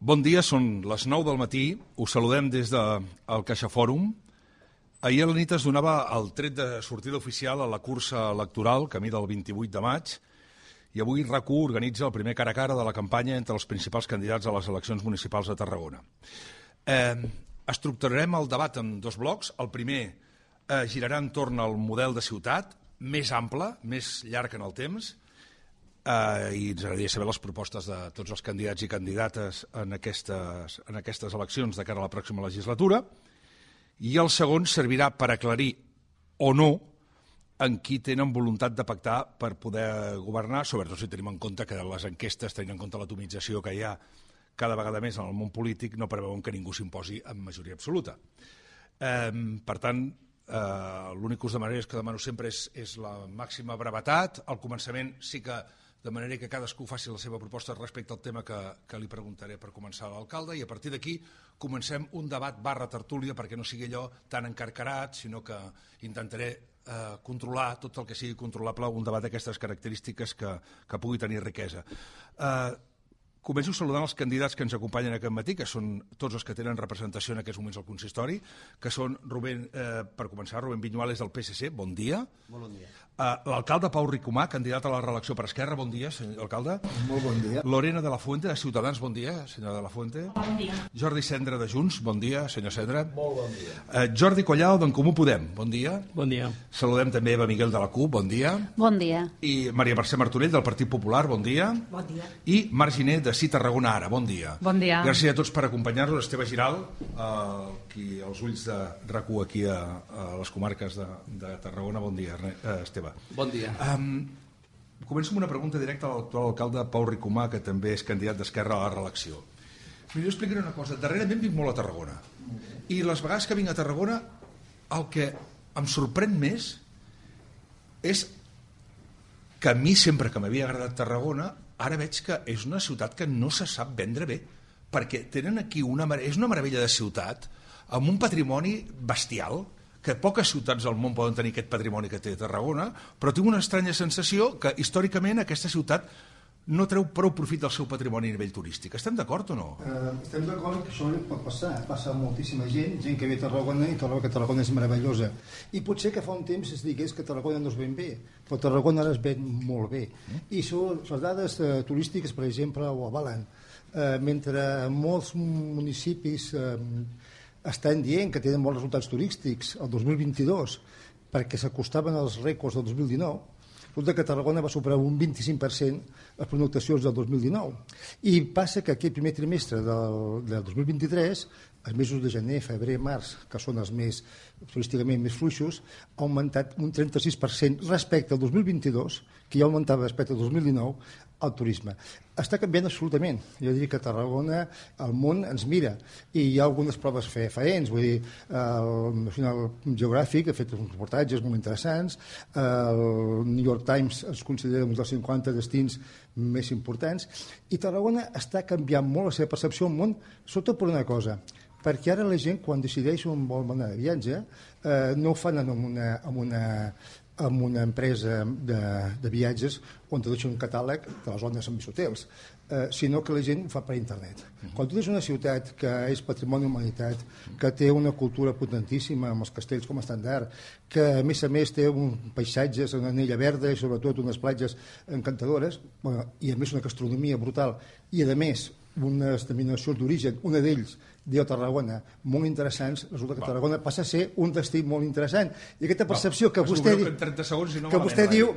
Bon dia, són les 9 del matí, us saludem des del CaixaFòrum. Ahir a la nit es donava el tret de sortida oficial a la cursa electoral, camí del 28 de maig, i avui RAC1 organitza el primer cara a cara de la campanya entre els principals candidats a les eleccions municipals de Tarragona. Estructurarem el debat en dos blocs. El primer girarà entorn al model de ciutat, més ample, més llarg en el temps, i ens agradaria saber les propostes de tots els candidats i candidates en aquestes eleccions de cara a la pròxima legislatura, i el segon servirà per aclarir o no en qui tenen voluntat de pactar per poder governar, sobretot si tenim en compte que les enquestes, tenint en compte l'atomització que hi ha cada vegada més en el món polític, no preveuen que ningú s'imposi en majoria absoluta. Per tant, l'únic que us demanaré és que demano sempre és la màxima brevetat. Al començament sí que de manera que cadascú faci la seva proposta respecte al tema que li preguntaré per començar a l'alcalde, i a partir d'aquí comencem un debat /tertúlia perquè no sigui allò tan encarcarat, sinó que intentaré controlar tot el que sigui controlable, un debat d'aquestes característiques que pugui tenir riquesa. Començo saludant els candidats que ens acompanyen aquest matí, que són tots els que tenen representació en aquests moments al consistori, que són, per començar, Rubén Viñuales del PSC, bon dia. Molt bon dia. L'alcalde Pau Ricomà, candidat a la reelecció per Esquerra, bon dia, senyor alcalde. Molt bon dia. Lorena de la Fuente, de Ciutadans, bon dia, senyora de la Fuente. Bon dia. Jordi Cendra, de Junts, bon dia, senyor Cendra. Molt bon dia. Jordi Collado, d'en Comú Podem, bon dia. Bon dia. Saludem també Eva Miguel de la CUP, bon dia. Bon dia. I Maria Mercè Martorell, del Partit Popular, bon dia. Bon dia. I Marc Giner, de Sí Tarragona Ara, bon dia. Bon dia. Gràcies a tots per acompanyar-nos. Esteve Giral, aquí als ulls de RAC1 aquí a les comarques de Tarragona, bon dia, Esteve. Bon dia. Començo amb una pregunta directa a l'actual alcalde Pau Ricomà, que també és candidat d'Esquerra a la reelecció. Jo explicaré una cosa. Darrerament vinc molt a Tarragona, i les vegades que vinc a Tarragona el que em sorprèn més és que a mi, sempre que m'havia agradat Tarragona, ara veig que és una ciutat que no se sap vendre bé, perquè tenen aquí és una meravella de ciutat amb un patrimoni bestial, que poques ciutats al món poden tenir aquest patrimoni que té Tarragona, però tinc una estranya sensació que històricament aquesta ciutat no treu prou profit del seu patrimoni a nivell turístic. Estem d'acord o no? Estem d'acord que això pot passar. Passa moltíssima gent que ve a Tarragona i troba que Tarragona és meravellosa. I potser que fa un temps es digués que Tarragona no es ven bé, però Tarragona ara es ven molt bé. I les dades turístiques, per exemple, ho avalen. Mentre molts municipis estan dient que tenen bons resultats turístics el 2022 perquè s'acostaven als rècords del 2019, resulta que Tarragona va superar un 25% les pernoctacions del 2019. I passa que aquest primer trimestre del 2023, els mesos de gener, febrer, març, que són els més turísticament més fluixos, ha augmentat un 36% respecte al 2022, que ja augmentava respecte al 2019, el turisme. Està canviant absolutament. Jo diria que a Tarragona el món ens mira, i hi ha algunes proves fefaents. Vull dir, el National Geographic ha fet uns reportatges molt interessants, el New York Times es considera un dels 50 destins més importants, i Tarragona està canviant molt la seva percepció al món, sobretot per una cosa, perquè ara la gent, quan decideix on vol anar de viatge, no ho fan amb una empresa de viatges on te deixa un catàleg de les zones amb més hotels, sinó que la gent ho fa per internet. Quan tu tens una ciutat que és patrimoni de humanitat, que té una cultura potentíssima amb els castells com a estandard, que a més té paisatges, una anella verda i sobretot unes platges encantadores, i a més una gastronomia brutal, i a més unes denominacions d'origen, una d'ells diu Tarragona, molt interessants, resulta que Tarragona passa a ser un destí molt interessant. I aquesta percepció que vostè diu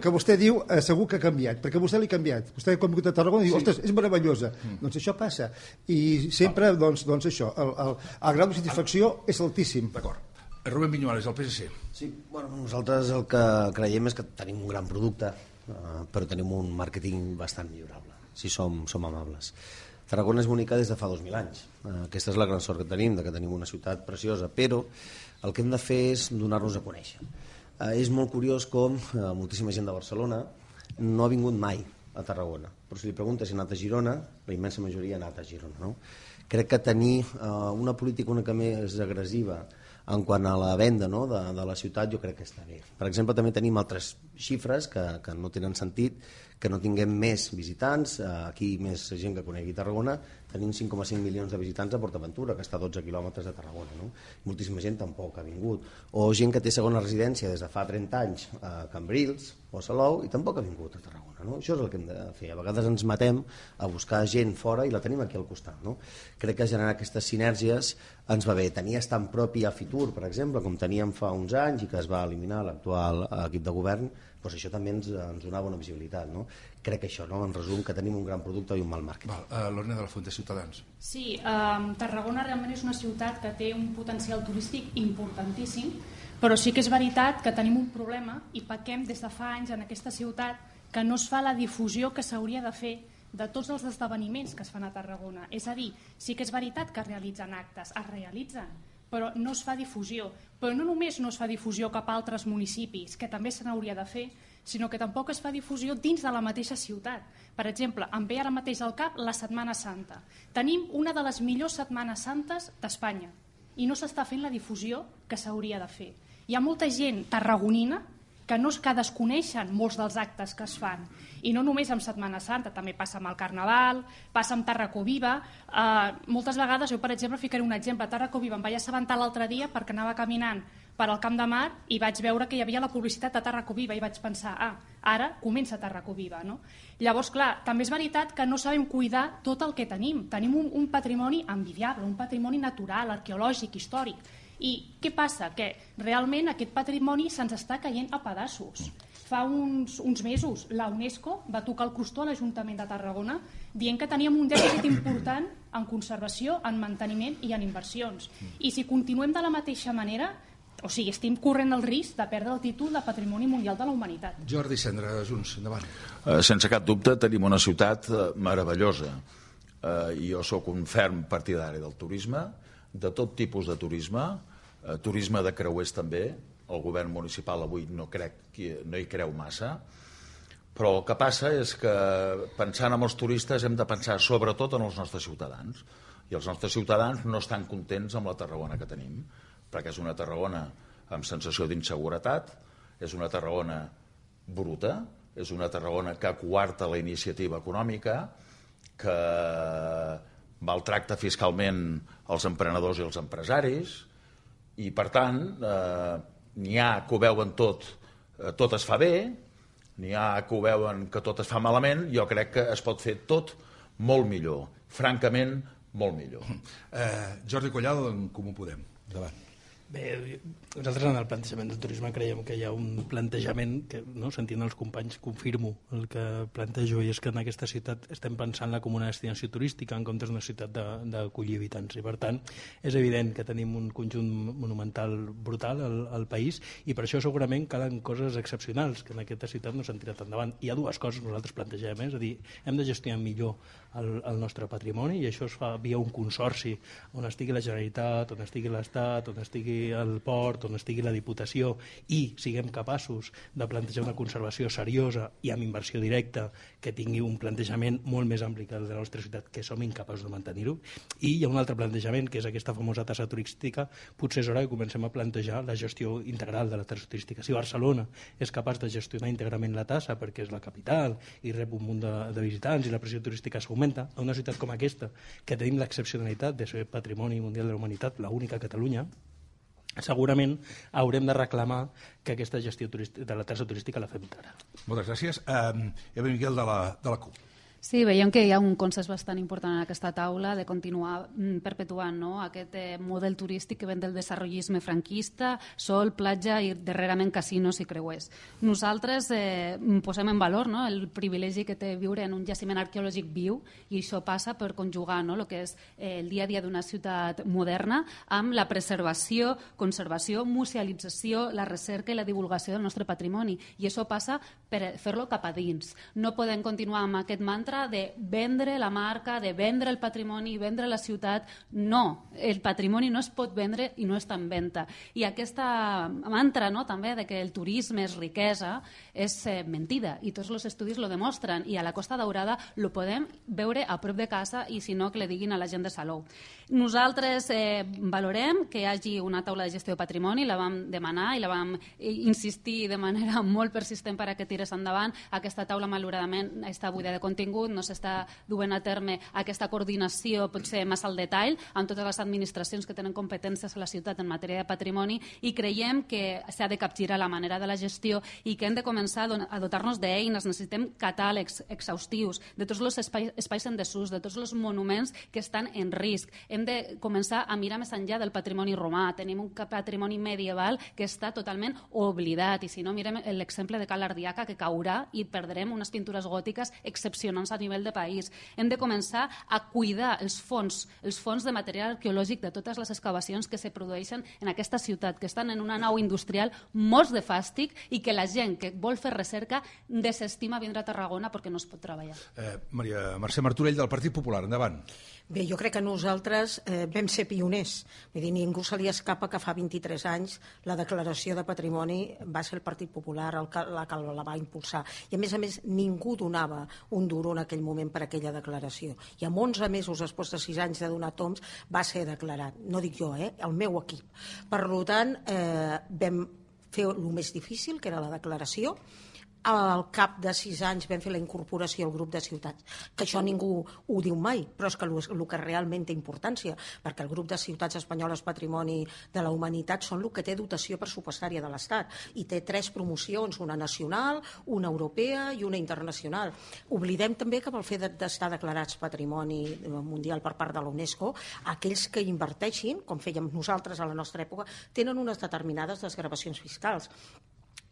segur que ha canviat, perquè vostè l'ha canviat. Vostè quan ha vingut a Tarragona diu, ostres, és meravellosa. Doncs això passa. I sempre, doncs això, el grau de satisfacció és altíssim. D'acord. Rubén Viñuales, del PSC. Sí, bueno, nosaltres el que creiem és que tenim un gran producte, però tenim un màrqueting bastant millorable, si som amables. Tarragona és bonica des de fa 2.000 anys. Aquesta és la gran sort que tenim, que tenim una ciutat preciosa, però el que hem de fer és donar-nos a conèixer. És molt curiós com moltíssima gent de Barcelona no ha vingut mai a Tarragona. però si li preguntes si ha anat a Girona, la immensa majoria ha anat a Girona, no? Crec que tenir una política una mica més agressiva en quant a la venda, no, de la ciutat, jo crec que està bé. Per exemple, també tenim altres xifres que no tenen sentit, que no tinguem més visitants, aquí més gent que conegui Tarragona, tenim 5,5 milions de visitants a PortAventura, que està a 12 quilòmetres de Tarragona, no? Moltíssima gent tampoc ha vingut. O gent que té segona residència des de fa 30 anys a Cambrils o a Salou i tampoc ha vingut a Tarragona, no? Això és el que hem de fer. A vegades ens matem a buscar gent fora i la tenim aquí al costat, no? Crec que generar aquestes sinergies ens va bé. Tenir estant propi a Fitur, per exemple, com teníem fa uns anys i que es va eliminar l'actual equip de govern, doncs això també ens donava una visibilitat, no? Crec que això, no? En resum, que tenim un gran producte i un mal màrqueting. Lorena de la Fuente, Ciutadans. Sí, Tarragona realment és una ciutat que té un potencial turístic importantíssim, però sí que és veritat que tenim un problema i pequem des de fa anys en aquesta ciutat que no es fa la difusió que s'hauria de fer de tots els esdeveniments que es fan a Tarragona. És a dir, sí que és veritat que es realitzen actes, es realitzen, però no es fa difusió. Però no només no es fa difusió cap a altres municipis, que també se n'hauria de fer, sinó que tampoc es fa difusió dins de la mateixa ciutat. Per exemple, em ve ara mateix al cap la Setmana Santa. Tenim una de les millors Setmanes Santes d'Espanya i no s'està fent la difusió que s'hauria de fer. Hi ha molta gent tarragonina que desconeixen molts dels actes que es fan. I no només amb Setmana Santa, també passa amb el Carnaval, passa amb Tarraco Viva. Moltes vegades, jo per exemple ficaré un exemple, a Tarraco Viva em vaig assabentar l'altre dia perquè anava caminant per al Camp de Mar i vaig veure que hi havia la publicitat de Tarraco Viva i vaig pensar, ara comença Tarraco Viva, no? Llavors, clar, també és veritat que no sabem cuidar tot el que tenim. Tenim un patrimoni envidiable, un patrimoni natural, arqueològic, històric. I què passa? Que realment aquest patrimoni se'ns està caient a pedaços. Fa uns mesos la UNESCO va tocar el crostó a l'Ajuntament de Tarragona dient que teníem un dèficit important en conservació, en manteniment i en inversions. I si continuem de la mateixa manera, o sigui, estem corrent el risc de perdre el títol de Patrimoni Mundial de la Humanitat. Jordi Cendra, Junts, endavant. Sense cap dubte tenim una ciutat meravellosa. Jo sóc un ferm partidari del turisme, de tot tipus de turisme, turisme de creuers també. El govern municipal avui no hi creu massa, però el que passa és que pensant en els turistes hem de pensar sobretot en els nostres ciutadans, i els nostres ciutadans no estan contents amb la Tarragona que tenim, perquè és una Tarragona amb sensació d'inseguretat, és una Tarragona bruta, és una Tarragona que coarta la iniciativa econòmica, que maltracta fiscalment els emprenedors i els empresaris, i per tant n'hi ha que ho veuen tot es fa bé, n'hi ha que ho veuen que tot es fa malament. Jo crec que es pot fer tot molt millor, francament molt millor. Jordi Collado, en Comú Podem, endavant. Bé, nosaltres en el plantejament del turisme creiem que hi ha un plantejament que, no, sentint els companys, confirmo el que plantejo, i és que en aquesta ciutat estem pensant-la com una destinació turística en comptes d'una ciutat d'acollir habitants, i per tant és evident que tenim un conjunt monumental brutal al país, i per això segurament calen coses excepcionals que en aquesta ciutat no s'han tirat endavant. Hi ha dues coses que nosaltres plantegem, és a dir, hem de gestionar millor el nostre patrimoni, i això es fa via un consorci on estigui la Generalitat, on estigui l'Estat, on estigui el port, on estigui la Diputació, i siguem capaços de plantejar una conservació seriosa i amb inversió directa que tingui un plantejament molt més ampli que el de la nostra ciutat, que som incapaços de mantenir-ho. I hi ha un altre plantejament, que és aquesta famosa tassa turística. Potser és hora que comencem a plantejar la gestió integral de la tassa turística. Si Barcelona és capaç de gestionar íntegrament la tassa perquè és la capital i rep un munt de visitants i la pressió turística s'augmenta, a una ciutat com aquesta, que tenim l'excepcionalitat de ser Patrimoni Mundial de la Humanitat, l'única a Catalunya, segurament haurem de reclamar que aquesta gestió de la tassa turística la fem ara. Moltes gràcies. Eva Miguel, de la CUP. Sí, veiem que hi ha un consens bastant important en aquesta taula de continuar perpetuant, no, aquest model turístic que ven del desenvolupisme franquista, sol, platja i darrerament casinos i creuers. Nosaltres posem en valor, no, el privilegi que té viure en un jaciment arqueològic viu, i això passa per conjugar, no, el que és el dia a dia d'una ciutat moderna amb la preservació, conservació, musealització, la recerca i la divulgació del nostre patrimoni. I això passa per fer-lo cap a dins. No podem continuar amb aquest mantra de vendre la marca, de vendre el patrimoni, vendre la ciutat. No, el patrimoni no es pot vendre i no està en venda. I aquesta mantra, no, també de que el turisme és riquesa és mentida i tots els estudis lo demostren, i a la Costa Daurada lo podem veure a prop de casa, i si no que le diguin a la gent de Salou. Nosaltres valorem que hi hagi una taula de gestió de patrimoni, la vam demanar i la vam insistir de manera molt persistent per a que tirés endavant. Aquesta taula malauradament està buida de contingut, no s'està duent a terme aquesta coordinació potser massa al detall amb totes les administracions que tenen competències a la ciutat en matèria de patrimoni, i creiem que s'ha de capgirar la manera de la gestió i que hem de començar a dotar-nos d'eines. Necessitem catàlegs exhaustius de tots els espais en desús, de tots els monuments que estan en risc. Hem de començar a mirar més enllà del patrimoni romà. Tenim un patrimoni medieval que està totalment oblidat, i si no mirem l'exemple de Cal Ardiaca, que caurà i perdrem unes pintures gòtiques excepcionants a nivell de país. Hem de començar a cuidar els fons de material arqueològic de totes les excavacions que se produeixen en aquesta ciutat, que estan en una nau industrial morts de fàstic i que la gent que vol fer recerca desestima vindre a Tarragona perquè no es pot treballar. Maria Mercè Martorell, del Partit Popular, endavant. Bé, jo crec que nosaltres vam ser pioners. Vull dir, ningú se li escapa que fa 23 anys la declaració de patrimoni va ser el Partit Popular la que la va impulsar. I a més, ningú donava un duro en aquell moment per aquella declaració. I amb 11 mesos, després de 6 anys de donar toms, va ser declarat. No dic jo, el meu equip. Per tant, vam fer el més difícil, que era la declaració. Al cap de 6 anys vam fer la incorporació al grup de ciutats, que això ningú ho diu mai, però és que el que realment té importància, perquè el grup de ciutats espanyoles Patrimoni de la Humanitat són el que té dotació pressupostària de l'Estat, i té 3 promocions, una nacional, una europea i una internacional. Oblidem també que pel fet d'estar declarats Patrimoni Mundial per part de la UNESCO, aquells que inverteixin, com fèiem nosaltres a la nostra època, tenen unes determinades desgravacions fiscals.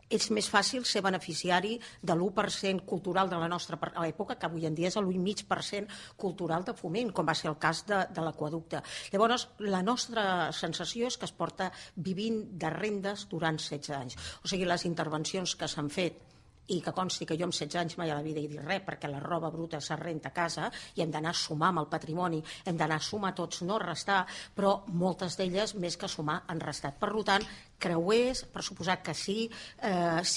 És més fàcil ser beneficiari de l'1% cultural de la nostra època, que avui en dia és l'1,5% cultural de Foment, com va ser el cas de l'Aqüeducte. Llavors, la nostra sensació és que es porta vivint de rendes durant 16 anys. O sigui, les intervencions que s'han fet, i que consti que jo amb 16 anys mai a la vida he dit res, perquè la roba bruta se renta a casa i hem d'anar a sumar amb el patrimoni, hem d'anar a sumar tots, no restar, però moltes d'elles, més que sumar, han restat. Per tant, creuers, per suposat que sí,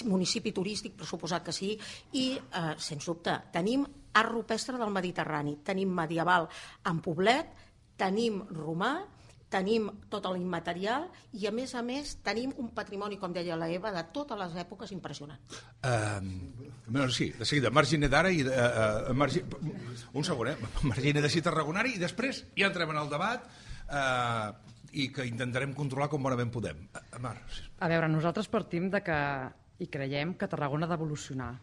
municipi turístic, per suposat que sí, i, sens dubte, tenim art rupestre del Mediterrani, tenim medieval en Poblet, tenim romà, tenim tot l'immaterial i, a més, tenim un patrimoni, com deia la Eva, de totes les èpoques impressionant. Sí, de seguida, Margine d'ara i... Un segon, Margine de Tarragonari, i després ja entrem en el debat i que intentarem controlar com bonament podem. Mar. A veure, nosaltres partim de que i creiem que Tarragona ha d'evolucionar.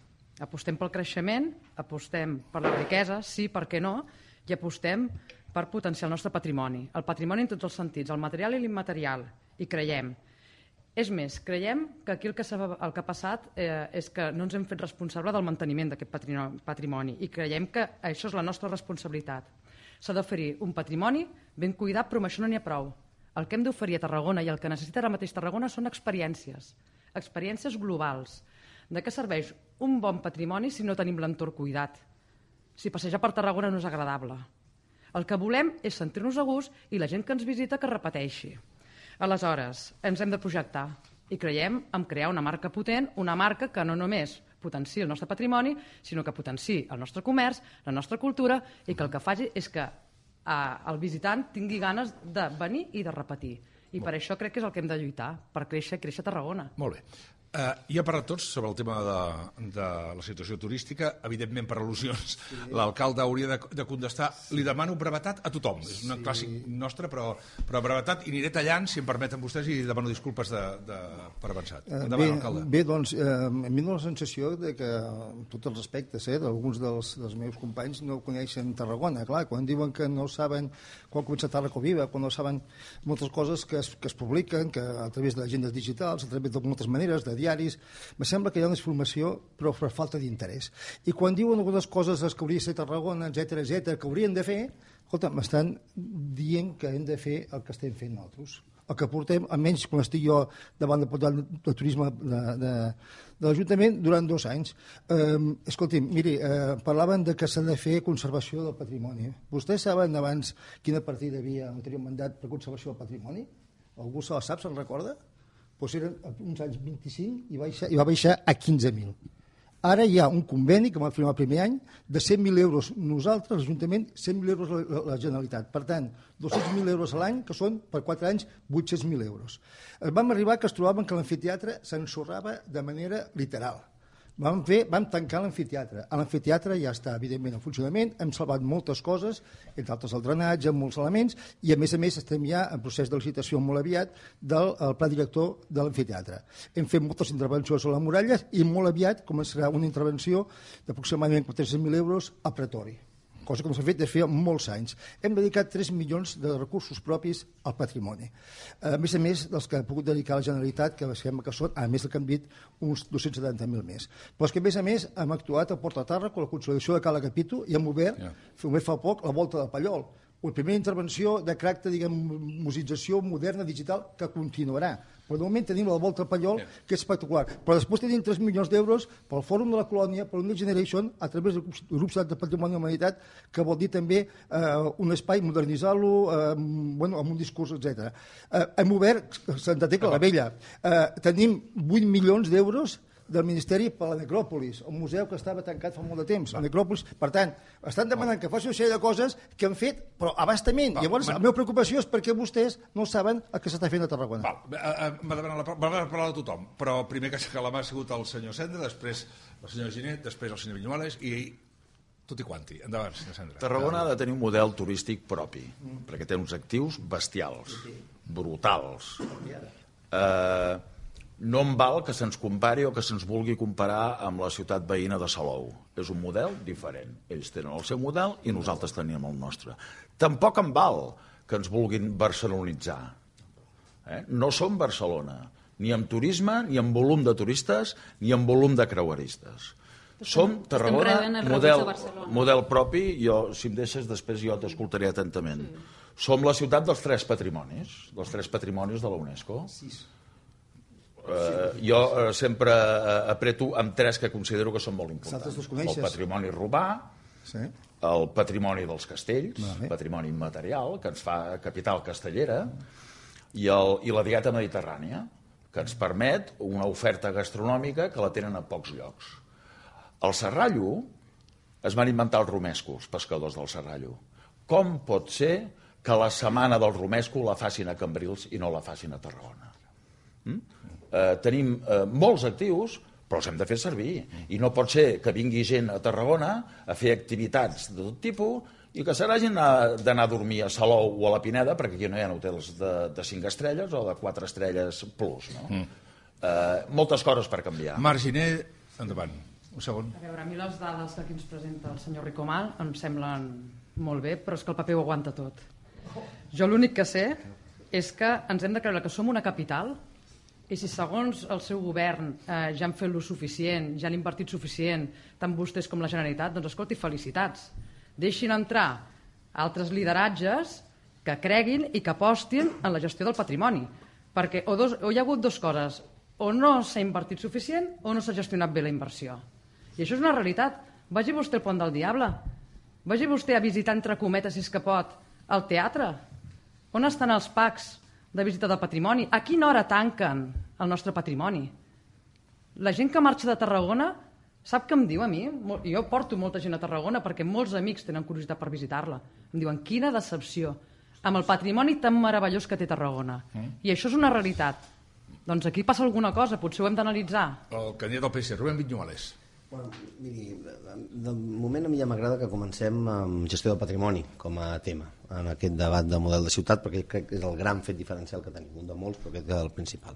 Apostem pel creixement, apostem per la riquesa, sí, per què no, i apostem per potenciar el nostre patrimoni. El patrimoni en tots els sentits, el material i l'immaterial, i creiem. És més, creiem que aquí el que ha passat és que no ens hem fet responsable del manteniment d'aquest patrimoni, i creiem que això és la nostra responsabilitat. S'ha d'oferir un patrimoni ben cuidat, però amb això no n'hi ha prou. El que hem d'oferir a Tarragona i el que necessita ara mateix Tarragona són experiències globals. De què serveix un bon patrimoni si no tenim l'entorn cuidat? Si passejar per Tarragona no és agradable. El que volem és sentir-nos a gust i la gent que ens visita que repeteixi. Aleshores, ens hem de projectar i creiem en crear una marca potent, una marca que no només potenciï el nostre patrimoni, sinó que potenciï el nostre comerç, la nostra cultura, i que el que faci és que el visitant tingui ganes de venir i de repetir. I per això crec que és el que hem de lluitar, per créixer Tarragona. Molt bé. Ja parlat tots sobre el tema de la situació turística. Evidentment, per al·lusions, l'alcalde hauria de contestar. Li demano brevetat a tothom. És un clàssic nostre, però brevetat, i aniré tallant, si em permeten vostès, i demano disculpes per avançat. Endavant, alcalde. Bé, doncs, a mi em dóna la sensació que, amb tots els respectes, d'alguns dels meus companys no coneixen Tarragona. Clar, quan diuen que no saben quan ha començat Tarragona Viva, quan no saben moltes coses que es publiquen, que a través d'agendes digitals, a través de moltes maneres, de diaris, me sembla que hi ha una informació però per falta d'interès. I quan diuen algunes coses que hauria de ser Tarragona, etc que haurien de fer, escolta, m'estan dient que hem de fer el que estem fent nosaltres. el que portem, almenys quan estic jo davant del portal de turisme de l'Ajuntament, durant 2 anys. Escolti'm, miri, parlaven de que s'ha de fer conservació del patrimoni. Vostès saben abans quina partida havia en l'anterior mandat per conservació del patrimoni? Algú se la sap, se'n recorda? Doncs eren uns anys 25 i va baixar a 15.000. Ara hi ha un conveni que vam firmar el primer any de 100.000 euros nosaltres, l'Ajuntament, 100.000 euros la Generalitat. Per tant, 200.000 euros a l'any, que són per 4 anys 800.000 euros. Vam arribar que es trobaven que l'amfiteatre s'ensorrava de manera literal. Vam tancar l'amfiteatre. L'amfiteatre ja està, evidentment, en funcionament. Hem salvat moltes coses, entre altres el drenatge, molts elements, i a més estem ja en procés de licitació molt aviat del pla director de l'amfiteatre. Hem fet moltes intervencions a les muralles i molt aviat començarà una intervenció d'aproximadament 400.000 euros a Pretori, cosa que no s'ha fet des de feia molts anys. Hem dedicat 3 milions de recursos propis al patrimoni. A més dels que ha pogut dedicar la Generalitat, que sembla que són, a més del que hem dit, uns 270.000 més. Però és que, a més, hem actuat a Porta Tàrraco, la consolidació de Cala Capito, i hem obert, fa poc, la volta de Pallol. La primera intervenció de caràcter, musització moderna, digital, que continuarà. Però de moment tenim la volta al Pallol, que és espectacular. Però després tenim 3 milions d'euros pel Fòrum de la Colònia, per Next Generation, a través del grup de Patrimoni de la Humanitat, que vol dir també un espai, modernitzar-lo, amb un discurs, etc. Hem obert Santa Tecla la Vella. Tenim 8 milions d'euros del Ministeri per la Necròpolis, un museu que estava tancat fa molt de temps, la Necròpolis. Per tant, estan demanant que faci una sèrie de coses que han fet, però a bastament. Llavors, la meva preocupació és perquè vostès no saben el que s'està fent a Tarragona. M'ha demanat parlar de tothom, però primer que la mà ha sigut el senyor Cendra, després el senyor Ginet, després el senyor Viñuales i tutti quanti. Endavant, senyor Cendra. Tarragona ha de tenir un model turístic propi, perquè té uns actius bestials, brutals. No em val que se'ns compari o que se'ns vulgui comparar amb la ciutat veïna de Salou. És un model diferent. Ells tenen el seu model i nosaltres tenim el nostre. Tampoc em val que ens vulguin barcelonitzar. No som Barcelona, ni amb turisme, ni amb volum de turistes, ni amb volum de creueristes. Som Tarragona, model propi. Si em deixes, després jo t'escoltaré atentament. Som la ciutat dels 3 patrimonis, de la UNESCO. Jo sempre apreto amb 3 que considero que són molt importants. El patrimoni romà, el patrimoni dels castells, patrimoni immaterial, que ens fa capital castellera, i la dieta mediterrània, que ens permet una oferta gastronòmica que la tenen a pocs llocs. Al Serrallo es van inventar els romescos, pescadors del Serrallo. Com pot ser que la setmana del romesco la facin a Cambrils i no la facin a Tarragona? Tenim molts actius, però els hem de fer servir. I no pot ser que vingui gent a Tarragona a fer activitats de tot tipus i que se n'hagin d'anar a dormir a Salou o a la Pineda, perquè aquí no hi ha hotels de 5 estrelles o de 4 estrelles plus. Moltes coses per canviar. Marginer, endavant. Un segon. A veure, a mi les dades que aquí ens presenta el senyor Ricomal em semblen molt bé, però és que el paper ho aguanta tot. Jo l'únic que sé és que ens hem de creure que som una capital i si segons el seu govern ja han fet lo suficient, ja han invertit suficient, tant vostès com la Generalitat, doncs escolti, felicitats. Deixin entrar altres lideratges que creguin i que apostin en la gestió del patrimoni. Perquè o hi ha hagut 2 coses, o no s'ha invertit suficient o no s'ha gestionat bé la inversió. I això és una realitat. Vagi vostè al Pont del Diable, vagi vostè a visitar, entre cometes, si és que pot, el teatre. On estan els packs de visita del patrimoni? A quina hora tanquen el nostre patrimoni? La gent que marxa de Tarragona sap què em diu a mi? Jo porto molta gent a Tarragona perquè molts amics tenen curiositat per visitar-la. Em diuen, quina decepció amb el patrimoni tan meravellós que té Tarragona. I això és una realitat. Doncs aquí passa alguna cosa, potser ho hem d'analitzar. El candidat del PSC, Rubén Viñuales. Bueno, miri, de moment a mi ja m'agrada que comencem amb gestió del patrimoni com a tema en aquest debat de model de ciutat, perquè crec que és el gran fet diferencial que tenim, un de molts, però aquest és el principal.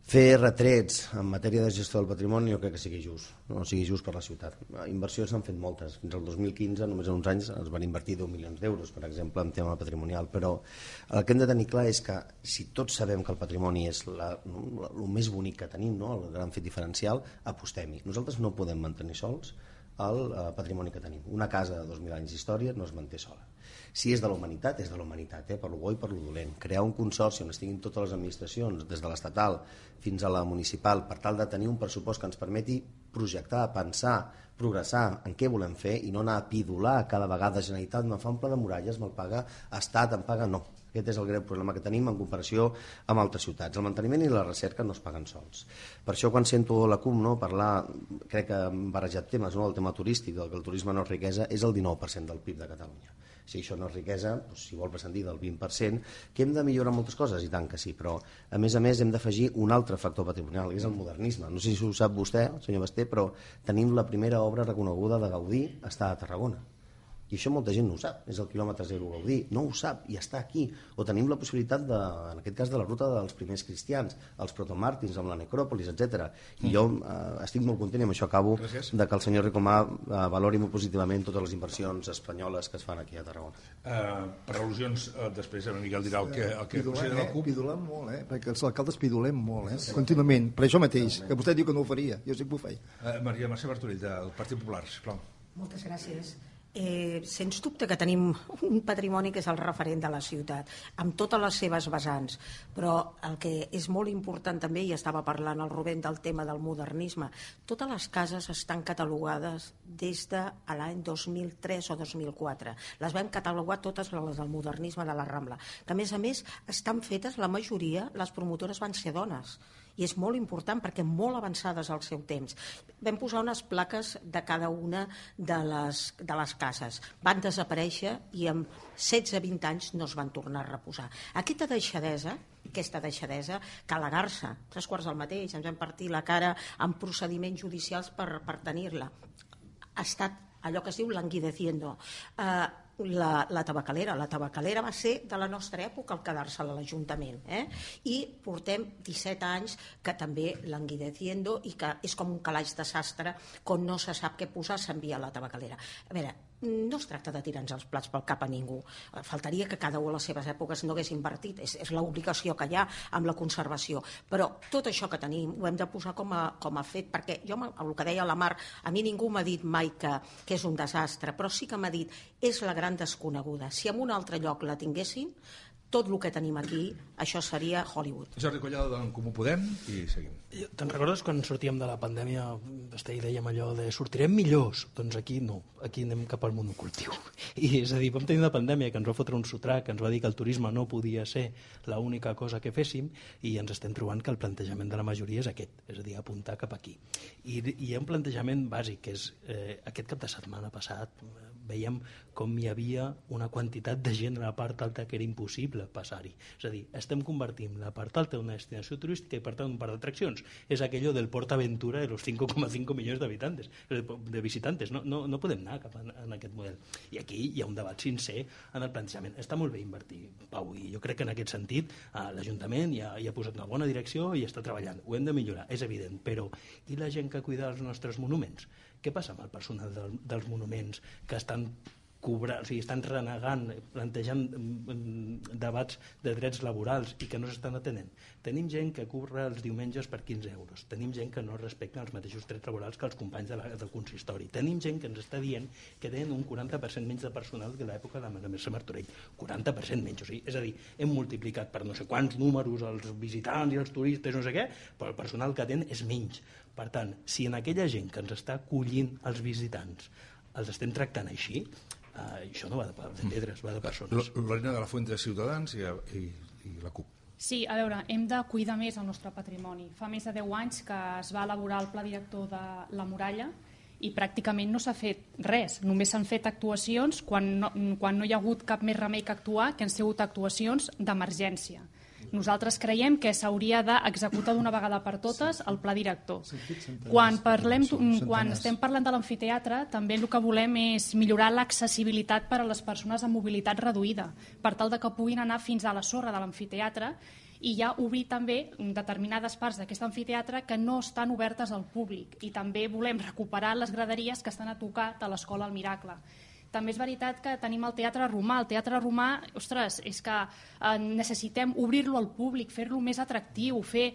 Fer retrets en matèria de gestió del patrimoni jo crec que sigui just, no sigui just per la ciutat. Inversions s'han fet moltes. Fins al 2015, només en uns anys, es van invertir 10 milions d'euros, per exemple, en tema patrimonial. Però el que hem de tenir clar és que si tots sabem que el patrimoni és el més bonic que tenim, no? El gran fet diferencial, apostem-hi. Nosaltres no podem mantenir sols el patrimoni que tenim. Una casa de 2.000 anys d'història no es manté sola. Si és de la humanitat, és de la humanitat, per lo bo i per lo dolent. Crear un consorci on estiguin totes les administracions, des de l'estatal fins a la municipal, per tal de tenir un pressupost que ens permeti projectar, pensar, progressar en què volem fer i no anar a pidolar cada vegada Generalitat, me fa un pla de muralles, me'l paga Estat, em paga... No, aquest és el greu problema que tenim en comparació amb altres ciutats. El manteniment i la recerca no es paguen sols. Per això quan sento la CUP parlar, crec que hem barrejat temes, el tema turístic, que el turisme no és riquesa, és el 19% del PIB de Catalunya. Si això no és riquesa, si vol prescindir del 20%, que hem de millorar moltes coses, i tant que sí, però a més hem d'afegir un altre factor patrimonial, que és el modernisme. No sé si ho sap vostè, senyor Basté, però tenim la primera obra reconeguda de Gaudí, està a Tarragona. I això molta gent no ho sap, és el quilòmetre zero Gaudí, no ho sap i està aquí. O tenim la possibilitat, en aquest cas, de la ruta dels primers cristians, els protomàrtirs amb la necròpolis, etc. I jo estic molt content, i amb això acabo, de que el senyor Ricomà valori molt positivament totes les inversions espanyoles que es fan aquí a Tarragona. Per al·lusions, després en Miguel dirà el que considera la CUP. Pidolem molt, perquè els alcaldes pidolem molt, contínuament, per això mateix, que vostè diu que no ho faria, jo sí que ho feia. Maria Mercè Martorell, del Partit Popular, sisplau. Moltes gràcies. Sens dubte que tenim un patrimoni que és el referent de la ciutat, amb totes les seves vessants, però el que és molt important també, i estava parlant el Rubén del tema del modernisme, totes les cases estan catalogades des de l'any 2003 o 2004. Les vam catalogar totes les del modernisme de la Rambla, que a més estan fetes, la majoria, les promotores van ser dones, i és molt important perquè molt avançades al seu temps. Vam posar unes plaques de cada una de les cases. Van desaparèixer i en 16-20 anys no es van tornar a reposar. Aquesta deixadesa, que a la Garça, 3/4 del mateix, ens vam partir la cara amb procediments judicials per tenir-la. Ha estat allò que es diu languideciendo. La tabacalera va ser de la nostra època al quedar-se a l'Ajuntament, i portem 17 anys que també languideciendo i que és com un calaix de sastre, quan no se sap què posar s'envia a la tabacalera. A veure, no es tracta de tirar-nos els plats pel cap a ningú, faltaria que cada una a les seves èpoques no hagués invertit, és l'obligació que hi ha amb la conservació, però tot això que tenim ho hem de posar com a fet, perquè jo, el que deia la Mar, a mi ningú m'ha dit mai que és un desastre, però sí que m'ha dit, és la gran desconeguda, si en un altre lloc la tinguessin, tot el que tenim aquí, això seria Hollywood. Jordi Collado d'en Comú Podem i seguim. Te'n recordes quan sortíem de la pandèmia i dèiem allò de sortirem millors? Doncs aquí no, aquí anem cap al monocultiu. I és a dir, vam tenir una pandèmia que ens va fotre un sotrac, que ens va dir que el turisme no podia ser l'única cosa que féssim i ens estem trobant que el plantejament de la majoria és aquest, és a dir, apuntar cap aquí. I hi ha un plantejament bàsic, que és aquest cap de setmana passat veiem com hi havia una quantitat de gent a la part alta que era impossible passar-hi. És a dir, estem convertint la part alta en una destinació turística i per tant un parc d'atraccions. És aquello del PortAventura de los 5,5 milions de visitantes. No podem anar cap en aquest model. I aquí hi ha un debat sincer en el plantejament. Està molt bé invertir, Pau, i jo crec que en aquest sentit l'Ajuntament ja ha posat una bona direcció i està treballant. Ho hem de millorar, és evident, però i la gent que cuida els nostres monuments? Què passa amb el personal dels monuments que estan estan renegant, plantejant debats de drets laborals i que no s'estan atenent? Tenim gent que curra els diumenges per 15 euros, tenim gent que no respecta els mateixos drets laborals que els companys del consistori, tenim gent que ens està dient que tenen un 40% menys de personal que l'època de la Mercè Martorell, 40% menys, o sigui, és a dir, hem multiplicat per no sé quants números els visitants i els turistes, no sé què, però el personal que tenen és menys. Per tant, si en aquella gent que ens està acollint els visitants els estem tractant així, això no va de pedres, va de persones. Lorena de la Fuente de Ciutadans i la CUP. Sí, a veure, hem de cuidar més el nostre patrimoni. Fa més de 10 anys que es va elaborar el pla director de la muralla i pràcticament no s'ha fet res. Només s'han fet actuacions quan no hi ha hagut cap més remei que actuar, que han sigut actuacions d'emergència. Nosaltres creiem que s'hauria d'executar d'una vegada per totes el pla director. Quan estem parlant de l'amfiteatre, també el que volem és millorar l'accessibilitat per a les persones amb mobilitat reduïda, per tal que puguin anar fins a la sorra de l'amfiteatre i ja obrir també determinades parts d'aquest amfiteatre que no estan obertes al públic. I també volem recuperar les graderies que estan a tocar de l'Escola El Miracle. També és veritat que tenim el Teatre Romà. El Teatre Romà, ostres, és que necessitem obrir-lo al públic, fer-lo més atractiu, fer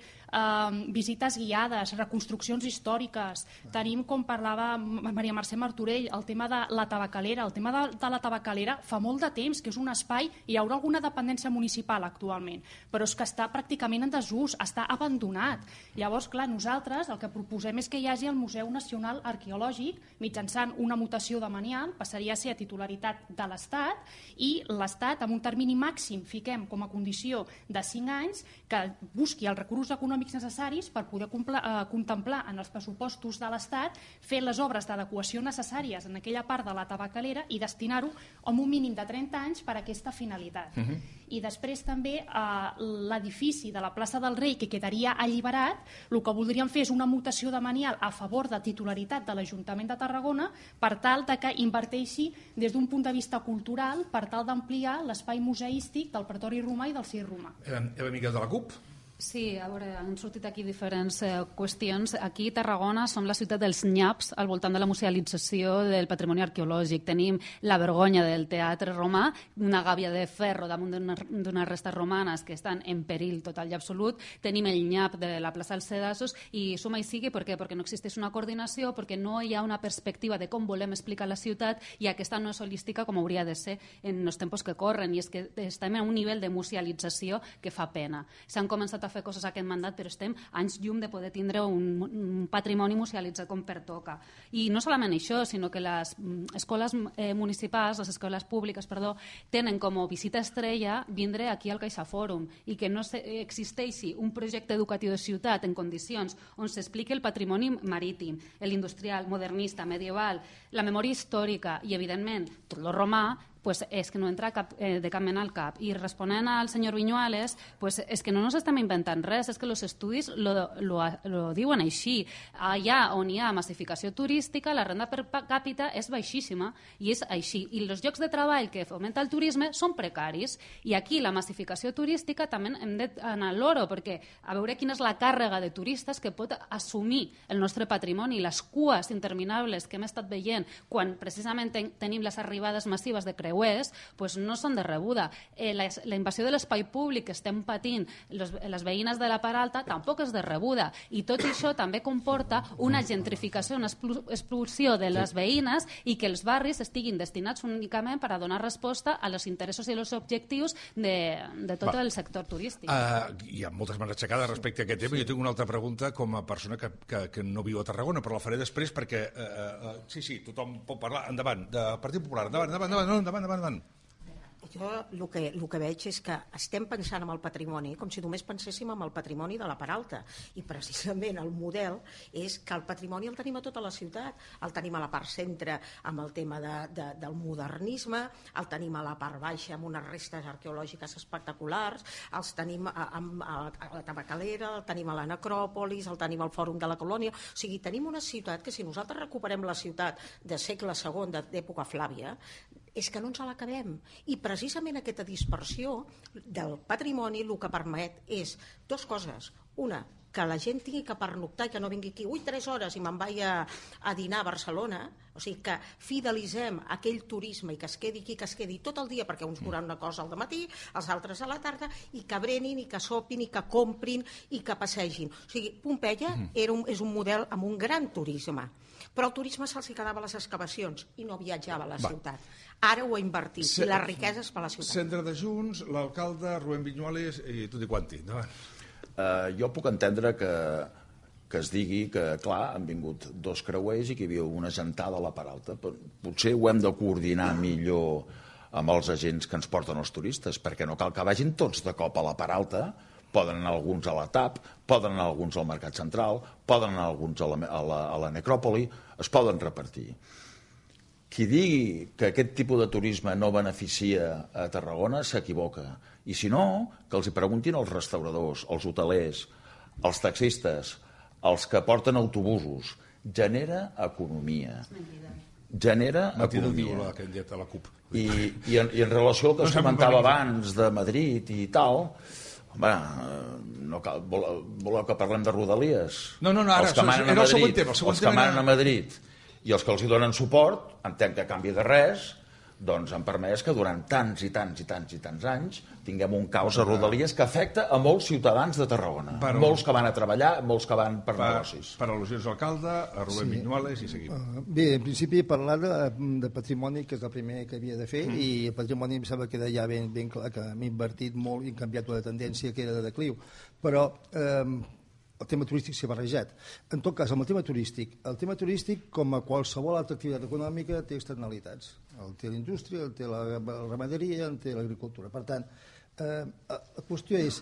visites guiades, reconstruccions històriques. Tenim, com parlava Maria Mercè Martorell, el tema de la tabacalera. El tema de la tabacalera fa molt de temps que és un espai, hi haurà alguna dependència municipal actualment, però és que està pràcticament en desús, està abandonat. Llavors, clar, nosaltres el que proposem és que hi hagi el Museu Nacional Arqueològic, mitjançant una mutació de manial, passaria a ser a titularitat de l'Estat, i l'Estat, amb un termini màxim, fiquem com a condició de 5 anys, que busqui els recursos econòmics necessaris per poder contemplar en els pressupostos de l'Estat fer les obres d'adequació necessàries en aquella part de la tabacalera i destinar-ho amb un mínim de 30 anys per a aquesta finalitat. I després també l'edifici de la plaça del Rei, que quedaria alliberat, el que voldríem fer és una mutació de manial a favor de titularitat de l'Ajuntament de Tarragona per tal de que inverteixi des d'un punt de vista cultural per tal d'ampliar l'espai museístic del Pretori Romà i del Circ Romà. Eva Miquel de la CUP. Sí, a veure, han sortit aquí diferents qüestions. Aquí a Tarragona som la ciutat dels nyaps al voltant de la musealització del patrimoni arqueològic. Tenim la vergonya del Teatre Romà, una gàbia de ferro damunt d'unes restes romanes que estan en perill total i absolut. Tenim el nyap de la plaça dels Sedassos i suma i sigui, per què? Perquè no existeix una coordinació, perquè no hi ha una perspectiva de com volem explicar la ciutat i aquesta no és holística com hauria de ser en els tempos que corren, i és que estem a un nivell de musealització que fa pena. S'han començat a fer coses aquest mandat, però estem anys llum de poder tindre un patrimoni musealitzat com pertoca. I no solament això, sinó que les escoles municipals, les escoles públiques, tenen com a visita estrella vindre aquí al CaixaFòrum i que no existeixi un projecte educatiu de ciutat en condicions on s'expliqui el patrimoni marítim, l'industrial, modernista, medieval, la memòria històrica i, evidentment, tot lo romà, pues és que no entra de cap mena al cap. I responent al senyor Viñuales, pues és que no ens estem inventant res, és que els estudis lo diuen així. Allà on hi ha massificació turística, la renda per càpita és baixíssima, i és així. I els llocs de treball que fomenta el turisme són precaris. I aquí la massificació turística també hem d'anar a l'oro, perquè a veure quina és la càrrega de turistes que pot assumir el nostre patrimoni, les cues interminables que hem estat veient quan precisament tenim les arribades massives de creuers, pues no són de rebuda. La invasió de l'espai públic que estem patint les veïnes de la Part Alta tampoc és de rebuda, i tot això també comporta una gentrificació, una expulsió de les veïnes, i que els barris estiguin destinats únicament per a donar resposta a los interessos i els objectius de tot el sector turístic. Hi ha moltes mans aixecades respecte a aquest tema. Jo tinc una altra pregunta com a persona que no viu a Tarragona, però la faré després perquè sí, tothom pot parlar. Endavant, de Partit Popular, endavant. Jo el que veig és que estem pensant en el patrimoni com si només penséssim en el patrimoni de la Part Alta, i precisament el model és que el patrimoni el tenim a tota la ciutat. El tenim a la part centre amb el tema del modernisme, el tenim a la part baixa amb unes restes arqueològiques espectaculars, els tenim a la Tabacalera, el tenim a la Necròpolis, el tenim al Fòrum de la Colònia. O sigui, tenim una ciutat que, si nosaltres recuperem la ciutat de segle II, d'època Flàvia, és que no ens l'acabem. I precisament aquesta dispersió del patrimoni el que permet és dues coses. Una, que la gent tingui que pernoctar i que no vingui aquí 3 hores i me'n vaig a dinar a Barcelona, o sigui que fidelitzem aquell turisme i que es quedi aquí, que es quedi tot el dia, perquè uns veuran una cosa al matí, els altres a la tarda, i que brenin, i que sopin, i que comprin, i que passegin. O sigui, Pompeia és un model amb un gran turisme, però el turisme se'ls quedava a les excavacions i no viatjava a la ciutat. Ara ho ha invertit, i la riquesa és per la ciutat. Centre de Junts, l'alcalde Rubén Viñuales i tutti quanti. Jo puc entendre que es digui que, clar, han vingut 2 creuers i que hi havia una gentada a la Part Alta. Potser ho hem de coordinar millor amb els agents que ens porten els turistes, perquè no cal que vagin tots de cop a la Part Alta. Poden anar alguns a la TAP, poden anar alguns al Mercat Central, poden anar alguns a la Necròpoli, es poden repartir. Qui digui que aquest tipus de turisme no beneficia a Tarragona s'equivoca. I si no, que els hi preguntin als restauradors, als hotelers, als taxistes, als que porten autobusos. Genera economia. Genera economia. I en relació al que es comentava abans de Madrid i tal, home, no cal, voleu que parlem de Rodalies? No, ara, era el següent tema. Els que manen a Madrid i els que els hi donen suport, entenc que a canvi de res, doncs han permès que durant tants i tants anys tinguem un caos a Rodalies que afecta a molts ciutadans de Tarragona. Molts que van a treballar, molts que van per negocis. Per al·lusions d'alcalde, a Rubén Viñuales i seguim. Bé, en principi parlar de patrimoni, que és el primer que havia de fer, i el patrimoni em sembla que queda ja ben clar que hem invertit molt i hem canviat una tendència que era de decliu. Però el tema turístic s'ha barrejat. En tot cas, amb el tema turístic, com a qualsevol altra activitat econòmica, té externalitats. El té la indústria, el té la ramaderia, el té l'agricultura. Per tant, la qüestió és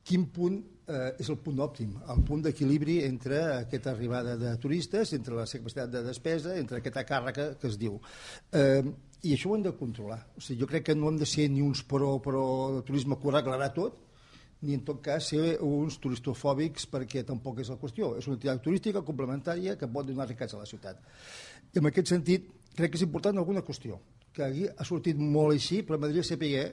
quin punt és el punt òptim, el punt d'equilibri entre aquesta arribada de turistes, entre la capacitat de despesa, entre aquesta càrrega que es diu. I això ho hem de controlar. O sigui, jo crec que no hem de ser ni uns però el turisme que ho arreglarà tot, ni en tot cas ser uns turistofòbics, perquè tampoc és la qüestió. És una activitat turística complementària que pot donar riquesa a la ciutat. I en aquest sentit, crec que és important alguna qüestió, que aquí ha sortit molt així, però m'agradaria saber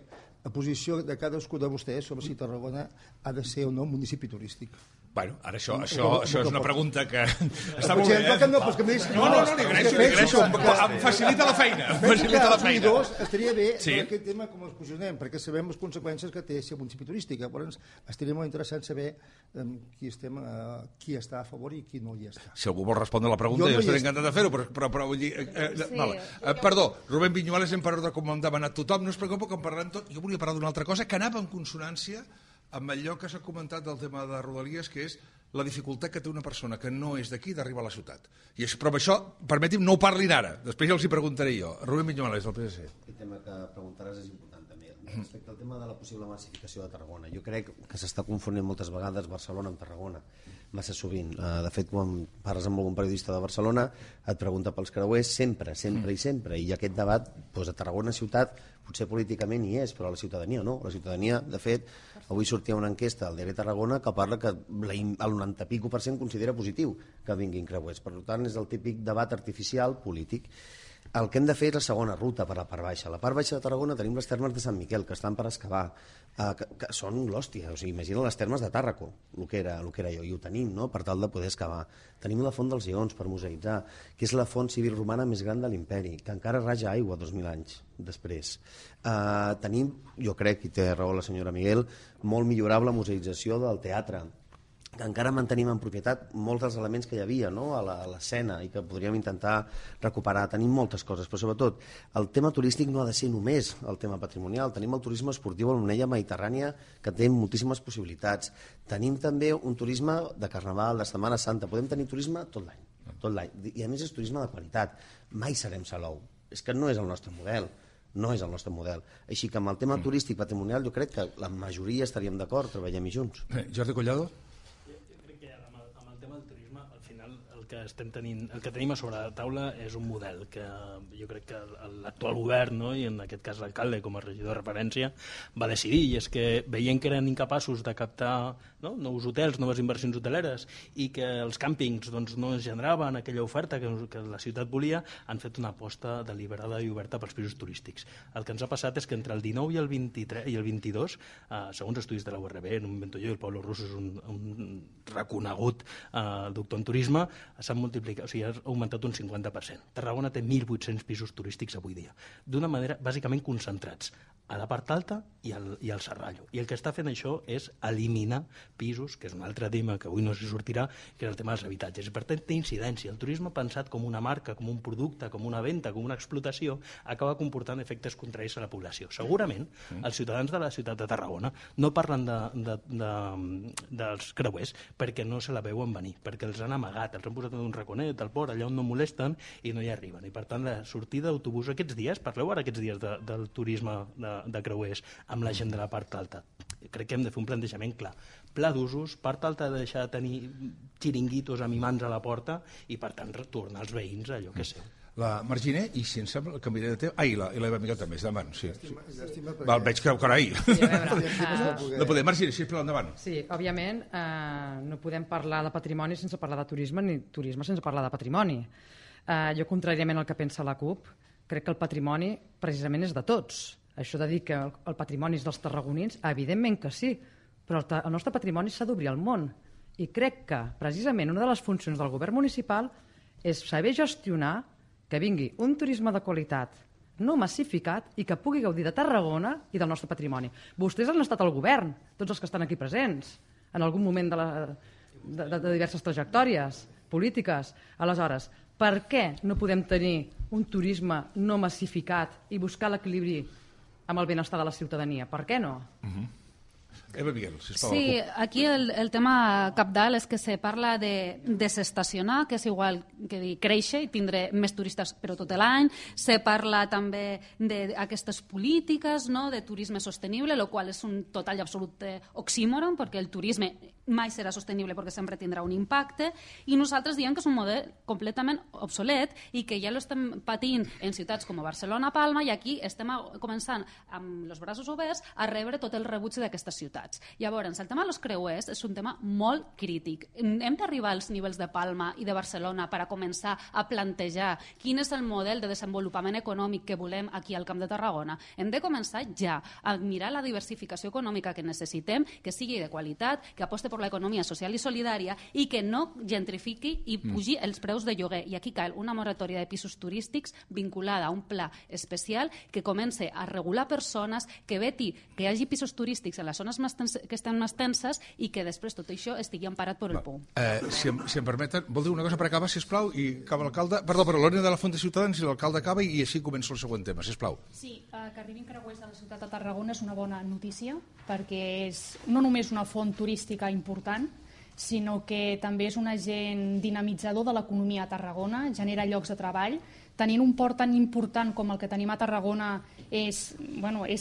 la posició de cadascú de vostès sobre si Tarragona ha de ser o no un municipi turístic. Bueno, ara això és una pregunta que està molt bé, No, li agraeixo. Em facilita la feina. Estaria bé que aquest tema com es posicionem, perquè sabem les conseqüències que té ser municipi turístic. Llavors, estaria molt interessant saber qui està a favor i qui no hi està. Si algú vol respondre la pregunta, jo estaré encantat de fer-ho, però vull dir... Perdó, Rubén Viñuales, hem parlat de com hem demanat tothom, no es preocupa que en parlem tot. Jo volia parlar d'una altra cosa que anava en consonància amb allò que s'ha comentat del tema de Rodalies, que és la dificultat que té una persona que no és d'aquí d'arribar a la ciutat. Però amb això, permeti'm, no ho parlin ara. Després ja els hi preguntaré jo. Rubén Viñuales, del PSC. Aquest tema que preguntaràs és important també. Respecte al tema de la possible massificació de Tarragona, jo crec que s'està confonent moltes vegades Barcelona amb Tarragona, massa sovint. De fet, quan parles amb algun periodista de Barcelona, et pregunta pels creuers sempre, i aquest debat a Tarragona ciutat potser políticament hi és, però a la ciutadania no. La ciutadania, de fet, avui sortia una enquesta al diari Tarragona que parla que el 90% considera positiu que vinguin creuers. Per tant, és el típic debat artificial polític. El que hem de fer és la segona ruta per la part baixa. A la part baixa de Tarragona tenim les termes de Sant Miquel, que estan per excavar, que són l'hòstia. O sigui, imagina les termes de Tàrraco, el que era jo, i ho tenim, no?, per tal de poder excavar. Tenim la font dels Lleons per museïtzar, que és la font civil romana més gran de l'imperi, que encara raja aigua 2.000 anys després. Tenim, jo crec, i té raó la senyora Miguel, molt millorable museïtzació del teatre, que encara mantenim en propietat molts dels elements que hi havia, no?, a l'escena, i que podríem intentar recuperar. Tenim moltes coses, però sobretot el tema turístic no ha de ser només el tema patrimonial. Tenim el turisme esportiu a l'Onella Mediterrània, que té moltíssimes possibilitats. Tenim també un turisme de Carnaval, de Setmana Santa. Podem tenir turisme tot l'any. I a més és turisme de qualitat. Mai serem Salou. És que no és el nostre model. No és el nostre model. Així que amb el tema turístic patrimonial jo crec que la majoria estaríem d'acord, treballem-hi junts. Jordi Collado? El que tenim a sobre la taula és un model que jo crec que l'actual govern, no?, i en aquest cas l'alcalde com a regidor de referència, va decidir, i és que veient que eren incapaços de captar nous hotels, noves inversions hoteleres, i que els càmpings no es generaven aquella oferta que la ciutat volia, han fet una aposta deliberada i oberta pels pisos turístics. El que ens ha passat és que entre el 19 i el 23 i el 22, segons estudis de la URB, en un vento jo, i el Pablo Russo és un reconegut doctor en turisme, s'han multiplicat, o sigui, ha augmentat un 50%. Tarragona té 1.800 pisos turístics avui dia, d'una manera bàsicament concentrats a la part alta i al Serrallo. I el que està fent això és eliminar pisos, que és un altre tema que avui no s'hi sortirà, que és el tema dels habitatges. I per tant té incidència. El turisme pensat com una marca, com un producte, com una venda, com una explotació, acaba comportant efectes contraris a la població. Segurament els ciutadans de la ciutat de Tarragona no parlen dels creuers perquè no se la veuen venir, perquè els han amagat, els han posat en un raconet al port, allà on no molesten i no hi arriben. I per tant la sortida d'autobús aquests dies, parleu ara aquests dies del turisme de creuers amb la gent de la part alta. Crec que hem de fer un plantejament clar. Pla d'usos, part alta de deixar de tenir xiringuitos amb imants a la porta i per tant retornar als veïns allò que sé. La Marginer, i si em sembla, el canviaré de tema... I l'Eva Miquel també, és davant. Sí. Veig que carai. No podem. Marginer, sisplau, endavant. Sí, òbviament no podem parlar de patrimoni sense parlar de turisme, ni turisme sense parlar de patrimoni. Jo, contràriament al que pensa la CUP, crec que el patrimoni precisament és de tots. Això de dir que el patrimoni és dels tarragonins, evidentment que sí, però el nostre patrimoni s'ha d'obrir al món. I crec que, precisament, una de les funcions del govern municipal és saber gestionar que vingui un turisme de qualitat, no massificat, i que pugui gaudir de Tarragona i del nostre patrimoni. Vostès han estat al govern, tots els que estan aquí presents, en algun moment de diverses trajectòries polítiques. Aleshores, per què no podem tenir un turisme no massificat i buscar l'equilibri amb el benestar de la ciutadania? Per què no? Eva Miguel, sisplau. Sí, aquí el tema cabdal és que se parla de desestacionar, que és igual que dir créixer i tindre més turistes però tot l'any. Se parla també d'aquestes polítiques, no?, de turisme sostenible, el qual és un total i absolut oxímoron, perquè el turisme mai serà sostenible perquè sempre tindrà un impacte, i nosaltres diem que és un model completament obsolet i que ja l'estem patint en ciutats com Barcelona, Palma, i aquí estem començant amb els braços oberts a rebre tot el rebuig d'aquestes ciutats. Llavors, el tema dels creuers és un tema molt crític. Hem d'arribar als nivells de Palma i de Barcelona per a començar a plantejar quin és el model de desenvolupament econòmic que volem aquí al Camp de Tarragona. Hem de començar ja a mirar la diversificació econòmica que necessitem, que sigui de qualitat, que aposti per l'economia social i solidària i que no gentrifiqui i pugi els preus de lloguer. I aquí cal una moratòria de pisos turístics vinculada a un pla especial que comence a regular persones, que veti que hi hagi pisos turístics en les zones que estan més tenses i que després tot això estigui emparat per el POU. Si em permeten, vol dir una cosa per acabar, sisplau, i acaba l'alcalde. Perdó, però l'Òrnia de la Font de Ciutadans i l'alcalde acaba i així comença el següent tema, sisplau. Sí, que arribin creuers a la ciutat de Tarragona és una bona notícia perquè és no només una font turística important, sinó que també és un agent dinamitzador de l'economia a Tarragona, genera llocs de treball. Tenint un port tan important com el que tenim a Tarragona és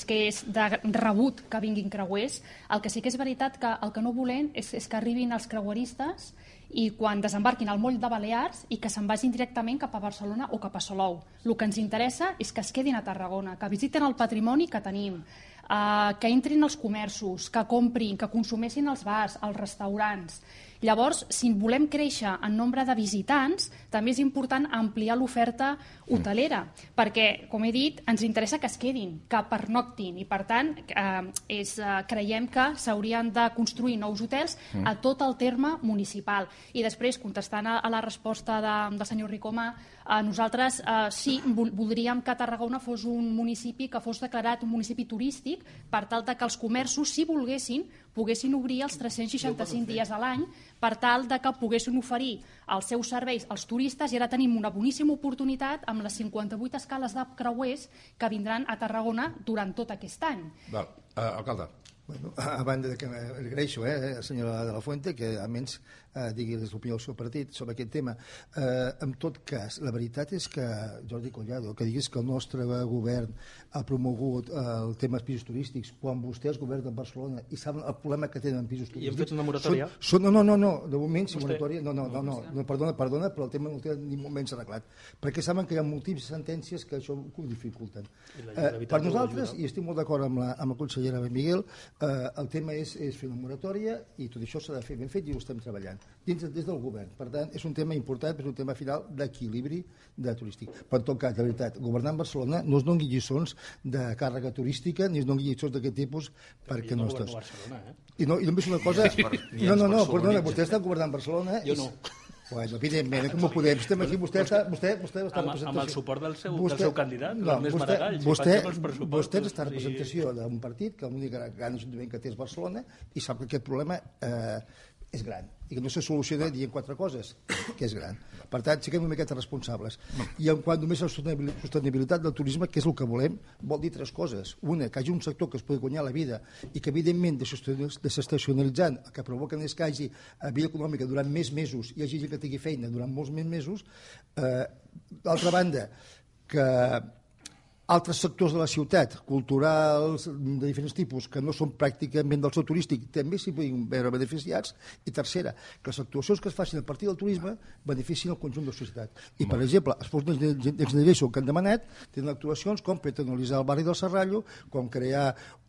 que és de rebut que vinguin creuers. El que sí que és veritat que el que no volem és que arribin els creueristes i quan desembarquin al moll de Balears i que se'n vagin directament cap a Barcelona o cap a Salou. El que ens interessa és que es quedin a Tarragona, que visiten el patrimoni que tenim, que entrin als comerços, que comprin, que consumeixin els bars, els restaurants. Llavors, si volem créixer en nombre de visitants, també és important ampliar l'oferta hotelera, perquè, com he dit, ens interessa que es quedin, que pernoctin, i per tant creiem que s'haurien de construir nous hotels a tot el terme municipal. I després, contestant a la resposta del senyor Ricoma, nosaltres sí voldríem que Tarragona fos un municipi que fos declarat un municipi turístic per tal que els comerços, si volguessin, poguessin obrir els 365 dies a l'any per tal que poguessin oferir els seus serveis als turistes, i ara tenim una boníssima oportunitat amb les 58 escales de creuers que vindran a Tarragona durant tot aquest any. Alcalde. Bueno, a banda que agraeixo, senyora de la Fuente, que almenys digui l'opinió del seu partit sobre aquest tema. En tot cas, la veritat és que, Jordi Collado, que diguis que el nostre govern ha promogut el tema dels pisos turístics quan vostès governen Barcelona i saben el problema que tenen pisos turístics. I hem fet una moratòria? No, de moment, si moratòria... No, perdona, però el tema no el tenen ni molt menys arreglat, perquè saben que hi ha moltíssimes sentències que això ho dificulten. Per nosaltres, i estic molt d'acord amb la consellera Miguel, el tema és fer una moratòria i tot això s'ha de fer ben fet i ho estem treballant des del govern. Per tant, és un tema important, però és un tema final d'equilibri turístic. Per tot cas, de veritat, governant Barcelona no es doni lliçons de càrrega turística ni es doni lliçons d'aquest tipus perquè no estàs. I només una cosa... No, perdona, vostè està governant Barcelona... Jo no. Bueno, evidentment, com ho podem? Estem aquí, vostè està en representació... Amb el suport del seu candidat, l'Ernest Maragall. Vostè està en representació d'un partit que l'únic gran ajuntament que té és Barcelona i sap que aquest problema és gran i que no se soluciona dient quatre coses, que és gran. Per tant, siguem una miqueta responsables. I en quant només a la sostenibilitat del turisme, que és el que volem, vol dir tres coses. Una, que hi hagi un sector que es pugui guanyar la vida i que, evidentment, desestacionalitzant, el que provoquen és que hi hagi vida econòmica durant més mesos i hi hagi gent que tingui feina durant molts més mesos. D'altra banda, que altres sectors de la ciutat, culturals, de diferents tipus, que no són pràcticament del sector turístic, també s'hi poden veure beneficiats. I tercera, que les actuacions que es facin a partir del turisme beneficien el conjunt de la societat. I, per exemple, els Fons Next Generation que han demanat tenen actuacions com peatonalitzar el barri del Serrallo, com crear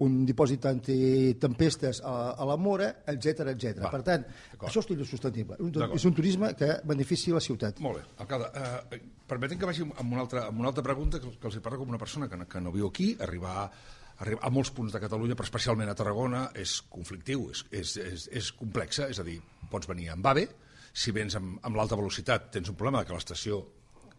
un dipòsit antitempestes a la Mora, etc. Per tant, això és turisme sostenible. És un turisme que beneficia la ciutat. Molt bé. Alcalde, permetem que vagi amb una altra pregunta que els parla com una persona que no viu aquí. Arribar a molts punts de Catalunya, però especialment a Tarragona, és conflictiu, és complexa, és a dir, pots venir amb AVE, si vens amb l'alta velocitat tens un problema que l'estació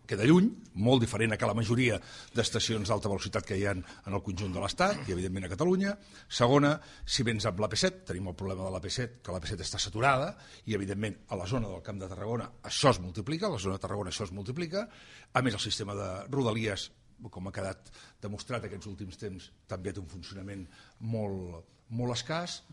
queda lluny, molt diferent a que la majoria d'estacions d'alta velocitat que hi ha en el conjunt de l'Estat i, evidentment, a Catalunya. Segona, si vens amb l'AP7, tenim el problema de l'AP7, que l'AP7 està saturada i, evidentment, a la zona del Camp de Tarragona això es multiplica, a la zona de Tarragona això es multiplica. A més, el sistema de Rodalies, com ha quedat demostrat aquests últims temps, també té un funcionament molt escàs.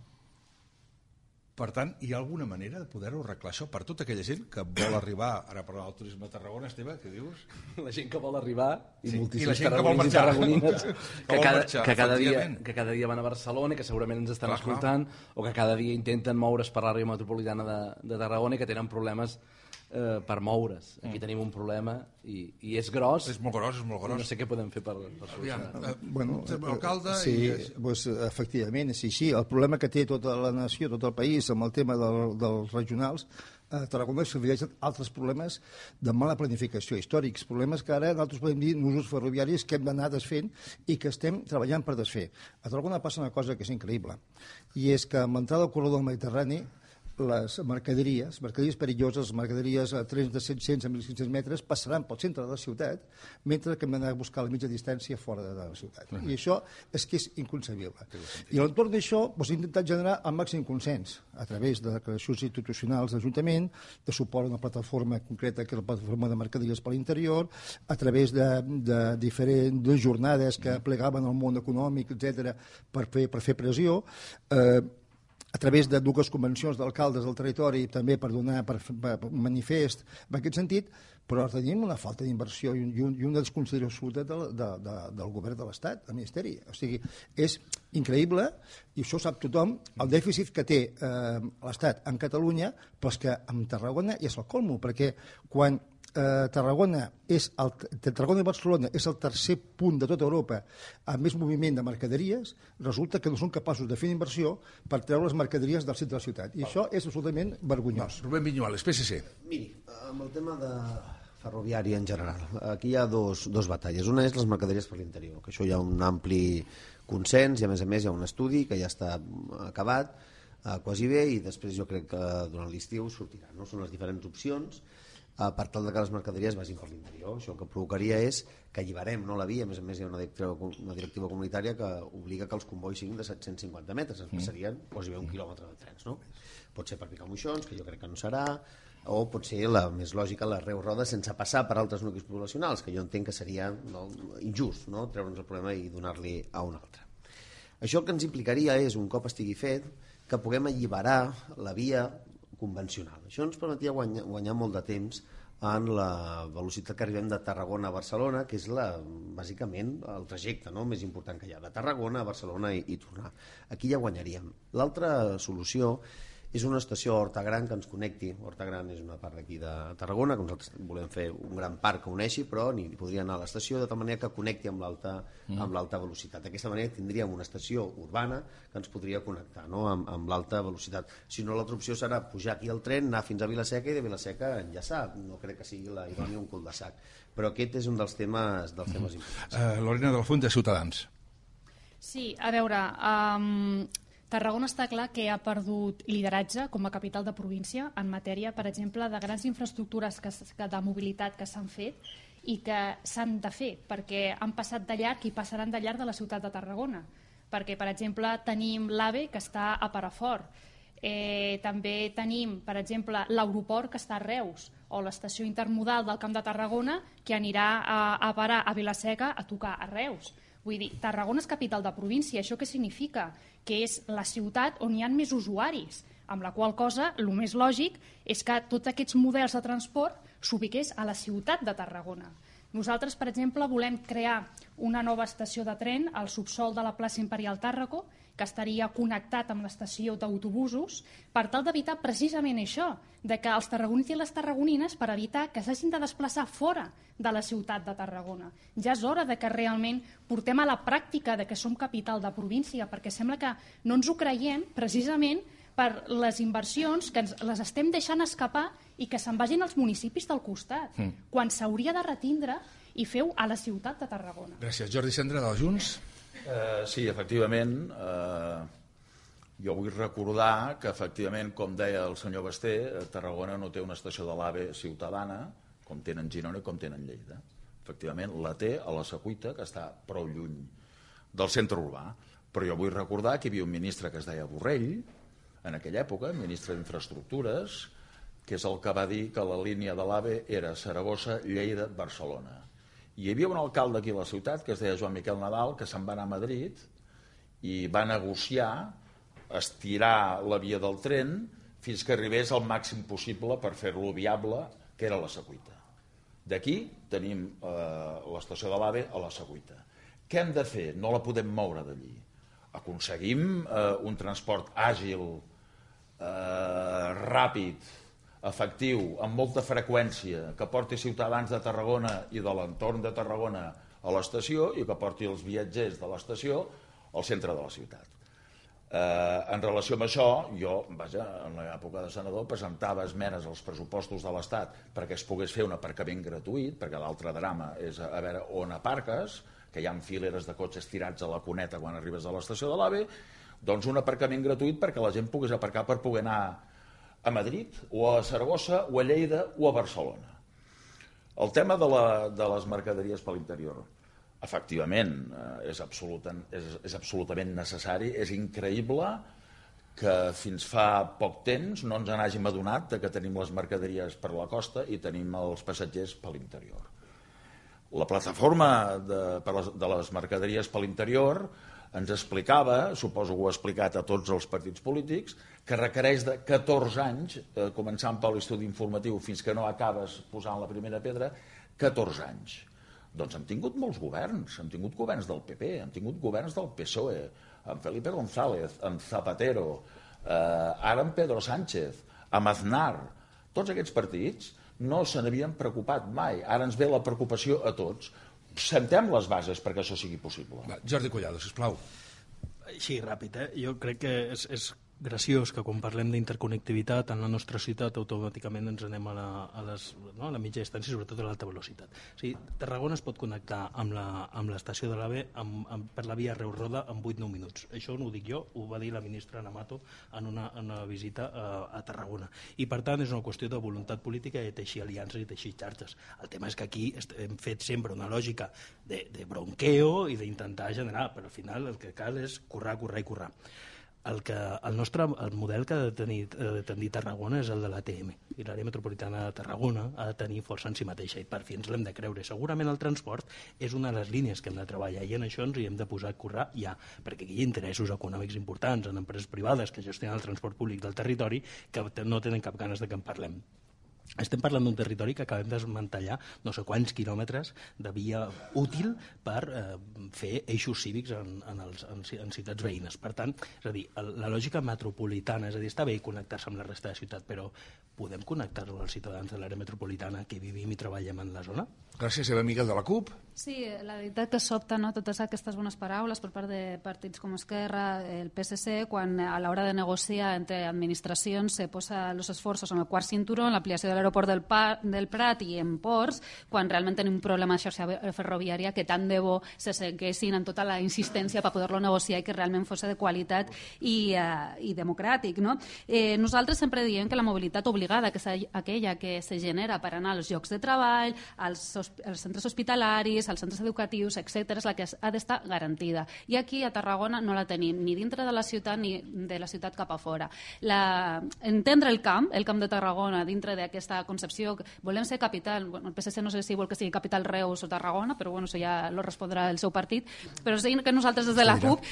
Per tant, hi ha alguna manera de poder-ho arreglar això per tota aquella gent que vol arribar, ara parlant del turisme de Tarragona, Esteve, què dius? La gent que vol arribar i moltíssims tarragonins i tarragonines que que cada dia van a Barcelona i que segurament ens estan escoltant o que cada dia intenten moure's per l'àrea metropolitana de Tarragona i que tenen problemes per moure's. Aquí tenim un problema i és gros. És molt gros. No sé què podem fer per solucionar. Bueno, alcalde... Sí, doncs, efectivament, és així. El problema que té tota la nació, tot el país, amb el tema dels regionals, a Tarragona s'afegeixen altres problemes de mala planificació històrics, problemes que ara nosaltres podem dir nusos ferroviaris que hem d'anar desfent i que estem treballant per desfer. A Tarragona passa una cosa que és increïble, i és que amb l'entrada al corredor del Mediterrani les mercaderies perilloses, les mercaderies a trens de 700 a 1.500 metres passaran pel centre de la ciutat, mentre que hem d'anar a buscar la mitja distància fora de la ciutat. I això és que és inconcebible. I a l'entorn d'això hem intentat generar el màxim consens a través de declaracions institucionals d'Ajuntament, de suport a una plataforma concreta que és la plataforma de mercaderies per l'interior, a través de diferents jornades que plegaven al món econòmic, etc., per fer pressió, a través de dues convencions d'alcaldes del territori també per donar un manifest en aquest sentit, però tenim una falta d'inversió i una desconsideració absoluta del govern de l'Estat, del Ministeri. O sigui, és increïble, i això sap tothom, el dèficit que té l'Estat en Catalunya, però és que en Tarragona és el colmo, perquè quan Tarragona i Barcelona és el tercer punt de tota Europa amb més moviment de mercaderies, resulta que no són capaços de fer inversió per treure les mercaderies del centre de la ciutat. I això és absolutament vergonyós. Rubén Viñuales, PSC. Miri, amb el tema de ferroviari en general, aquí hi ha dos batalles. Una és les mercaderies per l'interior, que això hi ha un ampli consens i a més hi ha un estudi que ja està acabat quasi bé i després jo crec que durant l'estiu sortirà. No? Són les diferents opcions per tal que les mercaderies vagin per l'interior. Això el que provocaria és que alliberem la via, a més hi ha una directiva comunitària que obliga que els convois siguin de 750 metres, ens passarien quasi un quilòmetre de trens. No? Pot ser per Picamoixons, que jo crec que no serà, o pot ser la més lògica, la Reus Roda, sense passar per altres nuclis poblacionals, que jo entenc que seria injust, no? Treure'ns el problema i donar-li a un altre. Això el que ens implicaria és, un cop estigui fet, que puguem alliberar la via convencional. Això ens permetia guanyar molt de temps en la velocitat que arribem de Tarragona a Barcelona, que és bàsicament el trajecte més important que hi ha, de Tarragona a Barcelona i tornar. Aquí ja guanyaríem. L'altra solució és una estació a Horta Gran que ens connecti. Horta Gran és una part d'aquí de Tarragona, que nosaltres volem fer un gran parc que uneixi, però ni podria anar a l'estació de tal manera que connecti amb l'alta velocitat. D'aquesta manera tindríem una estació urbana que ens podria connectar amb l'alta velocitat. Si no, l'altra opció serà pujar aquí al tren, anar fins a Vila-seca i de Vila-seca enllaçar. No crec que sigui la idònia un cul de sac. Però aquest és un dels temes importants. Lorena de la Fuente, Ciutadans. Sí, a veure... Tarragona està clar que ha perdut lideratge com a capital de província en matèria, per exemple, de grans infraestructures de mobilitat que s'han fet i que s'han de fer, perquè han passat de llarg i passaran de llarg de la ciutat de Tarragona. Perquè, per exemple, tenim l'AVE, que està a Perafort. També tenim, per exemple, l'aeroport, que està a Reus, o l'estació intermodal del Camp de Tarragona, que anirà a parar a Vila-seca a tocar a Reus. Vull dir, Tarragona és capital de província. Això què significa? Que és la ciutat on hi ha més usuaris, amb la qual cosa el més lògic és que tots aquests models de transport s'ubiqués a la ciutat de Tarragona. Nosaltres, per exemple, volem crear una nova estació de tren al subsòl de la plaça Imperial Tàrraco, que estaria connectat amb l'estació d'autobusos, per tal d'evitar precisament això, de que els tarragonins i les tarragonines, per evitar que s'hagin de desplaçar fora de la ciutat de Tarragona. Ja és hora de que realment portem a la pràctica de que som capital de província, perquè sembla que no ens ho creiem precisament per les inversions que les estem deixant escapar i que se'n vagin als municipis del costat, quan s'hauria de retindre i feu a la ciutat de Tarragona. Gràcies. Jordi Cendra, de Junts. Sí, efectivament, jo vull recordar que efectivament, com deia el senyor Basté, Tarragona no té una estació de l'AVE ciutadana, com tenen Girona i com tenen Lleida. Efectivament, la té a la Secuita, que està prou lluny del centre urbà. Però jo vull recordar que hi havia un ministre que es deia Borrell, en aquella època, ministre d'Infraestructures, que és el que va dir que la línia de l'AVE era Saragossa, Lleida, Barcelona. I hi havia un alcalde aquí a la ciutat, que es deia Joan Miquel Nadal, que se'n va anar a Madrid i va negociar estirar la via del tren fins que arribés al màxim possible per fer-lo viable, que era la Secuita. D'aquí tenim l'estació de l'AVE a la Secuita. Què hem de fer? No la podem moure d'allí. Aconseguim un transport àgil, ràpid, efectiu, amb molta freqüència, que porti ciutadans de Tarragona i de l'entorn de Tarragona a l'estació i que porti els viatgers de l'estació al centre de la ciutat. En relació amb això, jo, en l'època de senador, presentava esmenes als pressupostos de l'Estat perquè es pogués fer un aparcament gratuït, perquè l'altre drama és a veure on aparques, que hi ha fileres de cotxes tirats a la cuneta quan arribes a l'estació de l'AVE, doncs un aparcament gratuït perquè la gent pogués aparcar per poder anar a Madrid, o a Saragossa, o a Lleida, o a Barcelona. El tema de les mercaderies per l'interior, efectivament, és absolutament necessari. És increïble que fins fa poc temps no ens n'hàgim adonat que tenim les mercaderies per la costa i tenim els passatgers per l'interior. La plataforma de les mercaderies per l'interior ens explicava, suposo que ho ha explicat a tots els partits polítics, que requereix de 14 anys, començant per l'estudi informatiu fins que no acabes posant la primera pedra, 14 anys. Doncs hem tingut molts governs, hem tingut governs del PP, hem tingut governs del PSOE, amb Felipe González, amb Zapatero, ara amb Pedro Sánchez, amb Aznar. Tots aquests partits no se n'havien preocupat mai. Ara ens ve la preocupació a tots. Sentem les bases perquè això sigui possible. Jordi Collado, sisplau. Així, ràpid, Jo crec que és graciós que quan parlem d'interconnectivitat en la nostra ciutat automàticament ens anem a la mitja distància, sobretot a l'alta velocitat. O sigui, Tarragona es pot connectar amb l'estació de l'AVE per la via Reus-Roda en 8-9 minuts. Això no ho dic jo, ho va dir la ministra Namato en una visita a Tarragona. I per tant és una qüestió de voluntat política i de teixir aliances i teixir xarxes. El tema és que aquí hem fet sempre una lògica de bronqueo i d'intentar generar, però al final el que cal és currar. El model que ha de tenir Tarragona és el de l'ATM, i l'àrea metropolitana de Tarragona ha de tenir força en si mateixa, i per fi ens l'hem de creure. Segurament el transport és una de les línies que hem de treballar, i en això ens hi hem de posar a currar ja, perquè aquí hi ha interessos econòmics importants en empreses privades que gestionen el transport públic del territori que no tenen cap ganes de que en parlem. Estem parlant d'un territori que acabem de desmantellar no sé quants quilòmetres de via útil per fer eixos cívics en ciutats veïnes. Per tant, és a dir, la lògica metropolitana, és a dir, està bé connectar-se amb la resta de ciutat, però podem connectar-lo als ciutadans de l'àrea metropolitana que vivim i treballem en la zona? Gràcies, Eva Miguel de la CUP. Sí, la veritat que sobta totes aquestes bones paraules per part de partits com Esquerra, el PSC, quan a l'hora de negociar entre administracions se posa els esforços en el quart cinturó, en l'ampliació de l'aeroport del Prat i en ports, quan realment tenim un problema de xarxa ferroviària que tant de bo se seguessin en tota la insistència per poder-lo negociar i que realment fos de qualitat i democràtic. No? Nosaltres sempre diem que la mobilitat obligada, que és aquella que se genera per anar als llocs de treball, als centres hospitalaris, als centres educatius, etc., és la que ha d'estar garantida. I aquí a Tarragona no la tenim, ni dintre de la ciutat ni de la ciutat cap a fora. Entendre el camp de Tarragona dintre d'aquesta concepció, volem ser capital, el PSC no sé si vol que sigui capital Reus o Tarragona, però bueno, això ja lo respondrà el seu partit, però és que nosaltres des de la CUP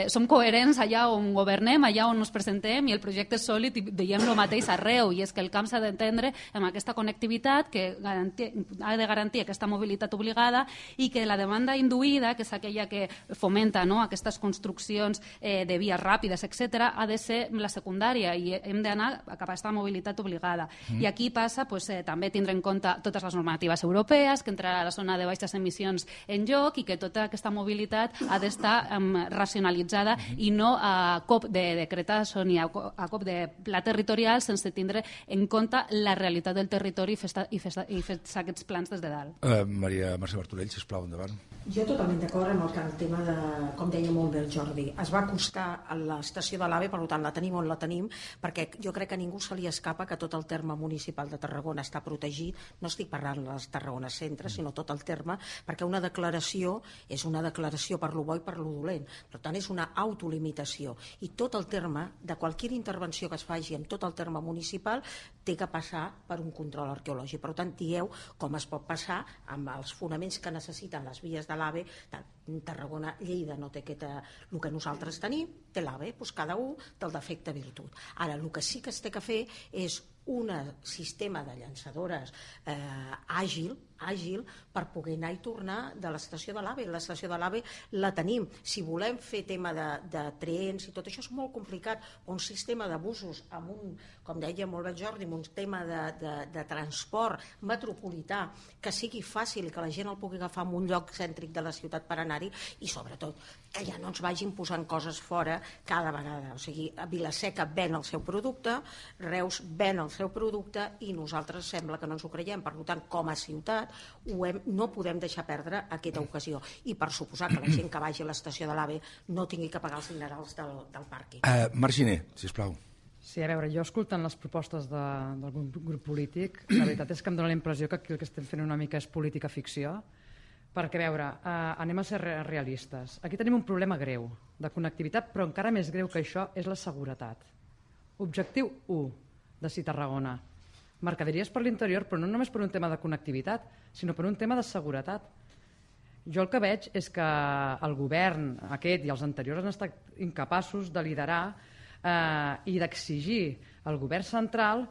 som coherents allà on governem, allà on ens presentem, i el projecte és sòlid i veiem el mateix arreu, i és que el camp s'ha d'entendre amb aquesta connectivitat que ha de garantir aquesta mobilitat obligada, i que la demanda induïda, que és aquella que fomenta aquestes construccions de vies ràpides, etc., ha de ser la secundària, i hem d'anar cap a aquesta mobilitat obligada. I aquí passa també tindre en compte totes les normatives europees, que entrarà a la zona de baixes emissions en joc, i que tota aquesta mobilitat ha d'estar racionalitzada i no a cop de decretazo ni a cop de pla territorial, sense tindre en compte la realitat del territori i fer aquests plans des de dalt. Maria Mercè Martorell, sisplau, endavant. Jo totalment d'acord amb el tema de, com deia molt bé el Jordi, es va acostar a l'estació de l'AVE, per tant la tenim on la tenim, perquè jo crec que a ningú se li escapa que tot el terme municipal de Tarragona està protegit, no estic parlant dels Tarragona Centre, sinó tot el terme, perquè una declaració és una declaració per lo bo i per lo dolent. Per tant, és una autolimitació. I tot el terme, de qualsevol intervenció que es faci en tot el terme municipal, té que passar per un control arqueològic. Per tant, dieu com es pot passar amb els fonaments que necessiten les vies de l'AVE. Tarragona, Lleida no té el que nosaltres tenim, té l'AVE, doncs cada un del defecte virtut. Ara, el que sí que es té que fer és un sistema de llançadores àgil per poder anar i tornar de l'estació de l'AVE. L'estació de l'AVE la tenim. Si volem fer tema de trens i tot això és molt complicat. Un sistema de busos amb un, com deia molt bé Jordi, amb un tema de transport metropolità que sigui fàcil i que la gent el pugui agafar en un lloc cèntric de la ciutat per anar-hi, i sobretot que ja no ens vagin posant coses fora cada vegada. O sigui, Vila-seca ven el seu producte, Reus ven el seu producte i nosaltres sembla que no ens ho creiem. Per tant, com a ciutat no podem deixar perdre aquesta ocasió, i per suposar que la gent que vagi a l'estació de l'AVE no tingui que pagar els dinerals del pàrquing. Marginer, sisplau. Sí, a veure, jo escoltant les propostes d'algun grup polític, la veritat és que em dóna la impressió que aquí el que estem fent una mica és política ficció, perquè, a veure, anem a ser realistes. Aquí tenim un problema greu de connectivitat, però encara més greu que això és la seguretat. Objectiu 1 de CIT Tarragona. Mercaderies per l'interior, però no només per un tema de connectivitat, sinó per un tema de seguretat. Jo el que veig és que el govern aquest i els anteriors han estat incapaços de liderar i d'exigir al govern central,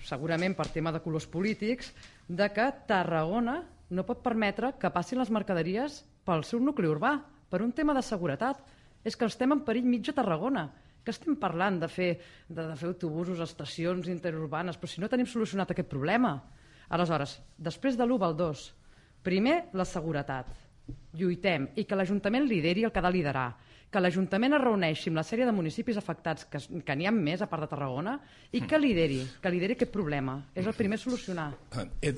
segurament per tema de colors polítics, de que Tarragona no pot permetre que passin les mercaderies pel seu nucli urbà, per un tema de seguretat. És que estem en perill mig a Tarragona, que estem parlant de fer autobusos, estacions interurbanes, però si no tenim solucionat aquest problema. Aleshores, després de l'1 al 2, primer, la seguretat. Lluitem, i que l'Ajuntament lideri el que ha de liderar, que l'Ajuntament es reuneixi amb la sèrie de municipis afectats, que n'hi ha més a part de Tarragona, i que lideri aquest problema. És el primer a solucionar. He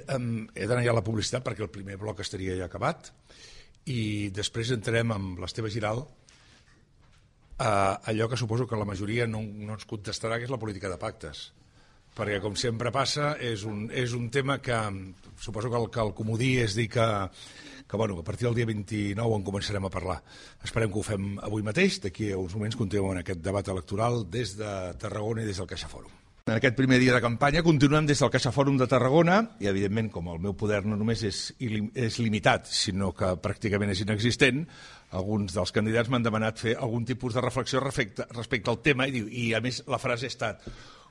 d'anar ja a la publicitat perquè el primer bloc estaria ja acabat, i després entrarem amb l'Esteve Giral allò que suposo que la majoria no ens contestarà, que és la política de pactes, perquè com sempre passa és un tema que suposo que el comodí és dir que a partir del dia 29 en començarem a parlar. Esperem que ho fem avui mateix. D'aquí a uns moments continuem en aquest debat electoral des de Tarragona i des del CaixaFòrum. En aquest primer dia de campanya continuem des del CaixaFòrum de Tarragona i, evidentment, com el meu poder no només és limitat, sinó que pràcticament és inexistent, alguns dels candidats m'han demanat fer algun tipus de reflexió respecte al tema i a més, la frase ha estat: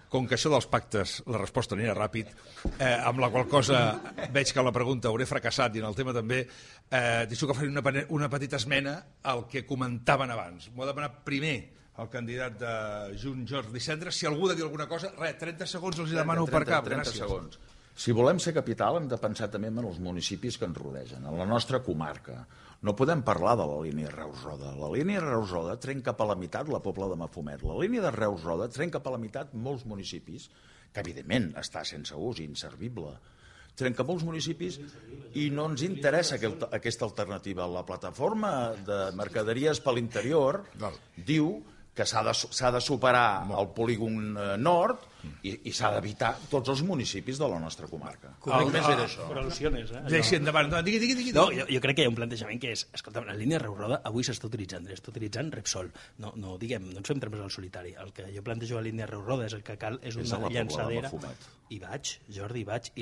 com que això dels pactes, la resposta anirà ràpid, amb la qual cosa veig que la pregunta hauré fracassat i en el tema també, deixo que faré una petita esmena al que comentaven abans. M'ho ha demanat primer el candidat de Junts, Jordi Cendra. Si algú ha de dir alguna cosa, 30 segons els demano per cap. 30 segons. Si volem ser capital hem de pensar també en els municipis que ens rodegen, en la nostra comarca. No podem parlar de la línia Reus-Roda. La línia Reus-Roda trenca cap a la meitat la Pobla de Mafumet. La línia de Reus-Roda trenca cap a la meitat molts municipis, que evidentment està sense ús, inservible. Trenca molts municipis i no ens interessa aquesta alternativa. La plataforma de mercaderies per l'interior diu que s'ha de superar el polígon nord i s'ha d'evitar tots els municipis de la nostra comarca. Només era això. Per al·lusiones, Deixi endavant. Digui. No, jo crec que hi ha un plantejament que és, escolta, la línia Reus-Roda avui s'està utilitzant Repsol. No ens fem trampes al solitari. El que jo plantejo a la línia Reus-Roda és el que cal és una llançadera. Hi vaig, Jordi, hi vaig.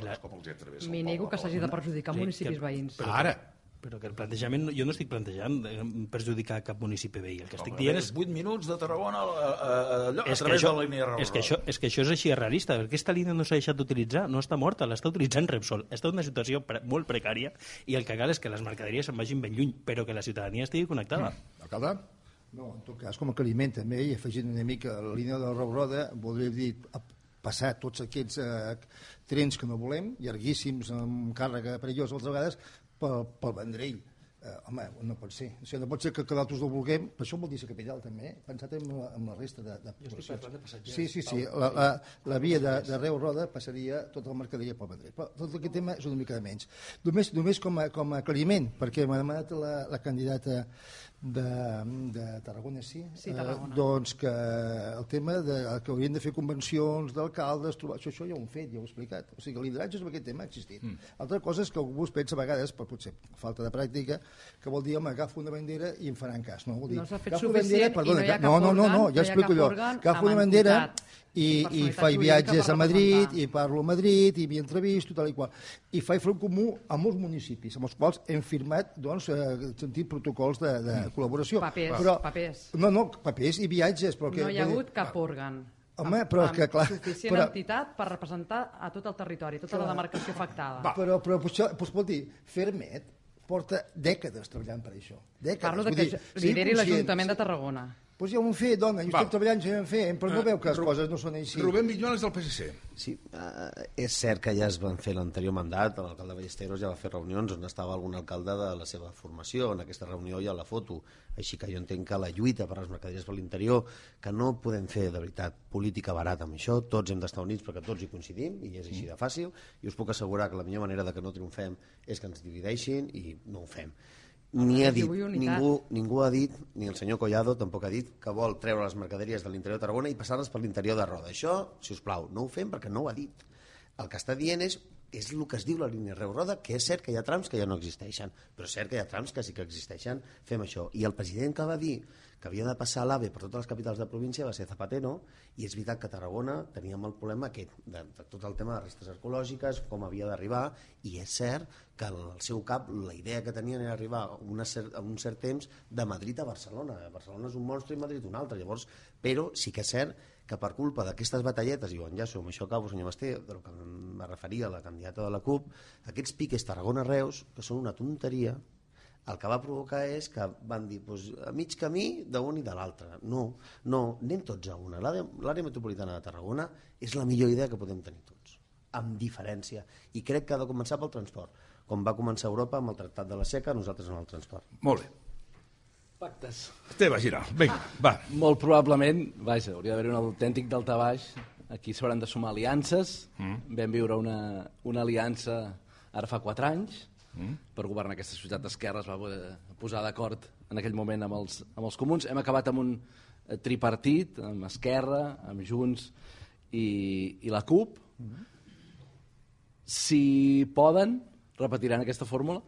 M'hi nego que s'hagi de perjudicar municipis veïns. Ara. Però que el plantejament, jo no estic plantejant perjudicar cap municipi veí. El que estic dient és 8 minuts de Tarragona a través de la línia Reus-Roda. És que això és així realista. Aquesta línia no s'ha deixat d'utilitzar, no està morta, l'està utilitzant Repsol. Està en una situació molt precària i el que cal és que les mercaderies se'n vagin ben lluny, però que la ciutadania estigui connectada. Alcalde? No, en tot cas, com a aclariment també, i afegint una mica la línia de Reus-Roda, voldria dir passar tots aquests trens que no volem, llarguíssims, amb càrrega perillosa altres vegades, pel Vendrell. Home, no pot ser. O sigui, no pot ser que nosaltres no vulguem, però això vol dir ser capital també, pensat en la resta de poblacions. Sí. La via de Reus-Roda passaria tota la mercaderia pel Vendrell. Però tot aquest tema és una mica de menys. Només com a aclariment, perquè m'ha demanat la candidata de Tarragona, sí? Sí, Tarragona. Doncs que el tema que haurien de fer convencions d'alcaldes, això ja ho hem fet, ja ho he explicat. O sigui, el lideratge sobre aquest tema ha existit. Altra cosa és que algú es pensa a vegades, per potser falta de pràctica, que vol dir, home, agafo una bandera i em faran cas. No, vol dir, no s'ha fet agafo suficient bandera, perdona, i no hi ha cap òrgan, no, ja explico jo. Agafo una bandera i faig viatges a Madrid, i parlo a Madrid, i m'hi entrevisto, tal i qual. I faig front comú a molts municipis, amb els quals hem firmat, doncs, sentit protocols de col·laboració. Papers. No, papers i viatges. Però no hi ha hagut cap òrgan. Home, però que clar... Suficient entitat per representar a tot el territori, tota la demarcació afectada. Però això, vol dir, Fermet porta dècades treballant per això. Parlo de que lideri l'Ajuntament de Tarragona. Doncs ja ho hem fet, dona, jo estic treballant, ja ho hem fet, però no veu que les coses no són així. Rubén Viñuales del PSC. Sí, és cert que ja es van fer l'anterior mandat, l'alcalde Ballesteros ja va fer reunions on estava algun alcalde de la seva formació, en aquesta reunió hi ha la foto, així que jo entenc que la lluita per les mercaderies per l'interior, que no podem fer de veritat política barata amb això, tots hem d'estar units perquè tots hi coincidim i és així de fàcil, i us puc assegurar que la millor manera de que no triomfem és que ens divideixin i no ho fem. Ningú ha dit, ni el senyor Collado tampoc ha dit que vol treure les mercaderies de l'interior de Tarragona i passar-les per l'interior de Roda. Això, si us plau, no ho fem perquè no ho ha dit. El que està dient és el que es diu la línia Reus-Roda, que és cert que hi ha trams que ja no existeixen, però és cert que hi ha trams que sí que existeixen, fem això. I el president que va dir que havia de passar l'AVE per totes les capitals de província va ser Zapatero, i és veritat que a Tarragona teníem el problema aquest, de tot el tema de restes arqueològiques, com havia d'arribar, i és cert que al seu cap la idea que tenien era arribar a un cert temps de Madrid a Barcelona. Barcelona és un monstre i Madrid un altre, llavors, però sí que és cert que per culpa d'aquestes batalletes, i ho enllaço, amb això acabo, senyor Basté, del que em referia a la candidata de la CUP, aquests piques Tarragona-Reus, que són una tonteria, el que va provocar és que van dir a mig camí d'un i de l'altre. No, anem tots a una. L'àrea metropolitana de Tarragona és la millor idea que podem tenir tots, amb diferència. I crec que ha de començar pel transport. Com va començar Europa amb el Tractat de la Seca, nosaltres amb el transport. Molt bé. Pactes. Esteve Giral, vinga, va. Molt probablement, vaja, hauria d'haver un autèntic daltabaix. Aquí s'hauran de sumar aliances. Vam viure una aliança ara fa 4 anys, per governar aquesta ciutat d'esquerra. Es va posar d'acord en aquell moment amb els comuns. Hem acabat amb un tripartit, amb Esquerra, amb Junts i la CUP. Si poden, repetiran aquesta fórmula?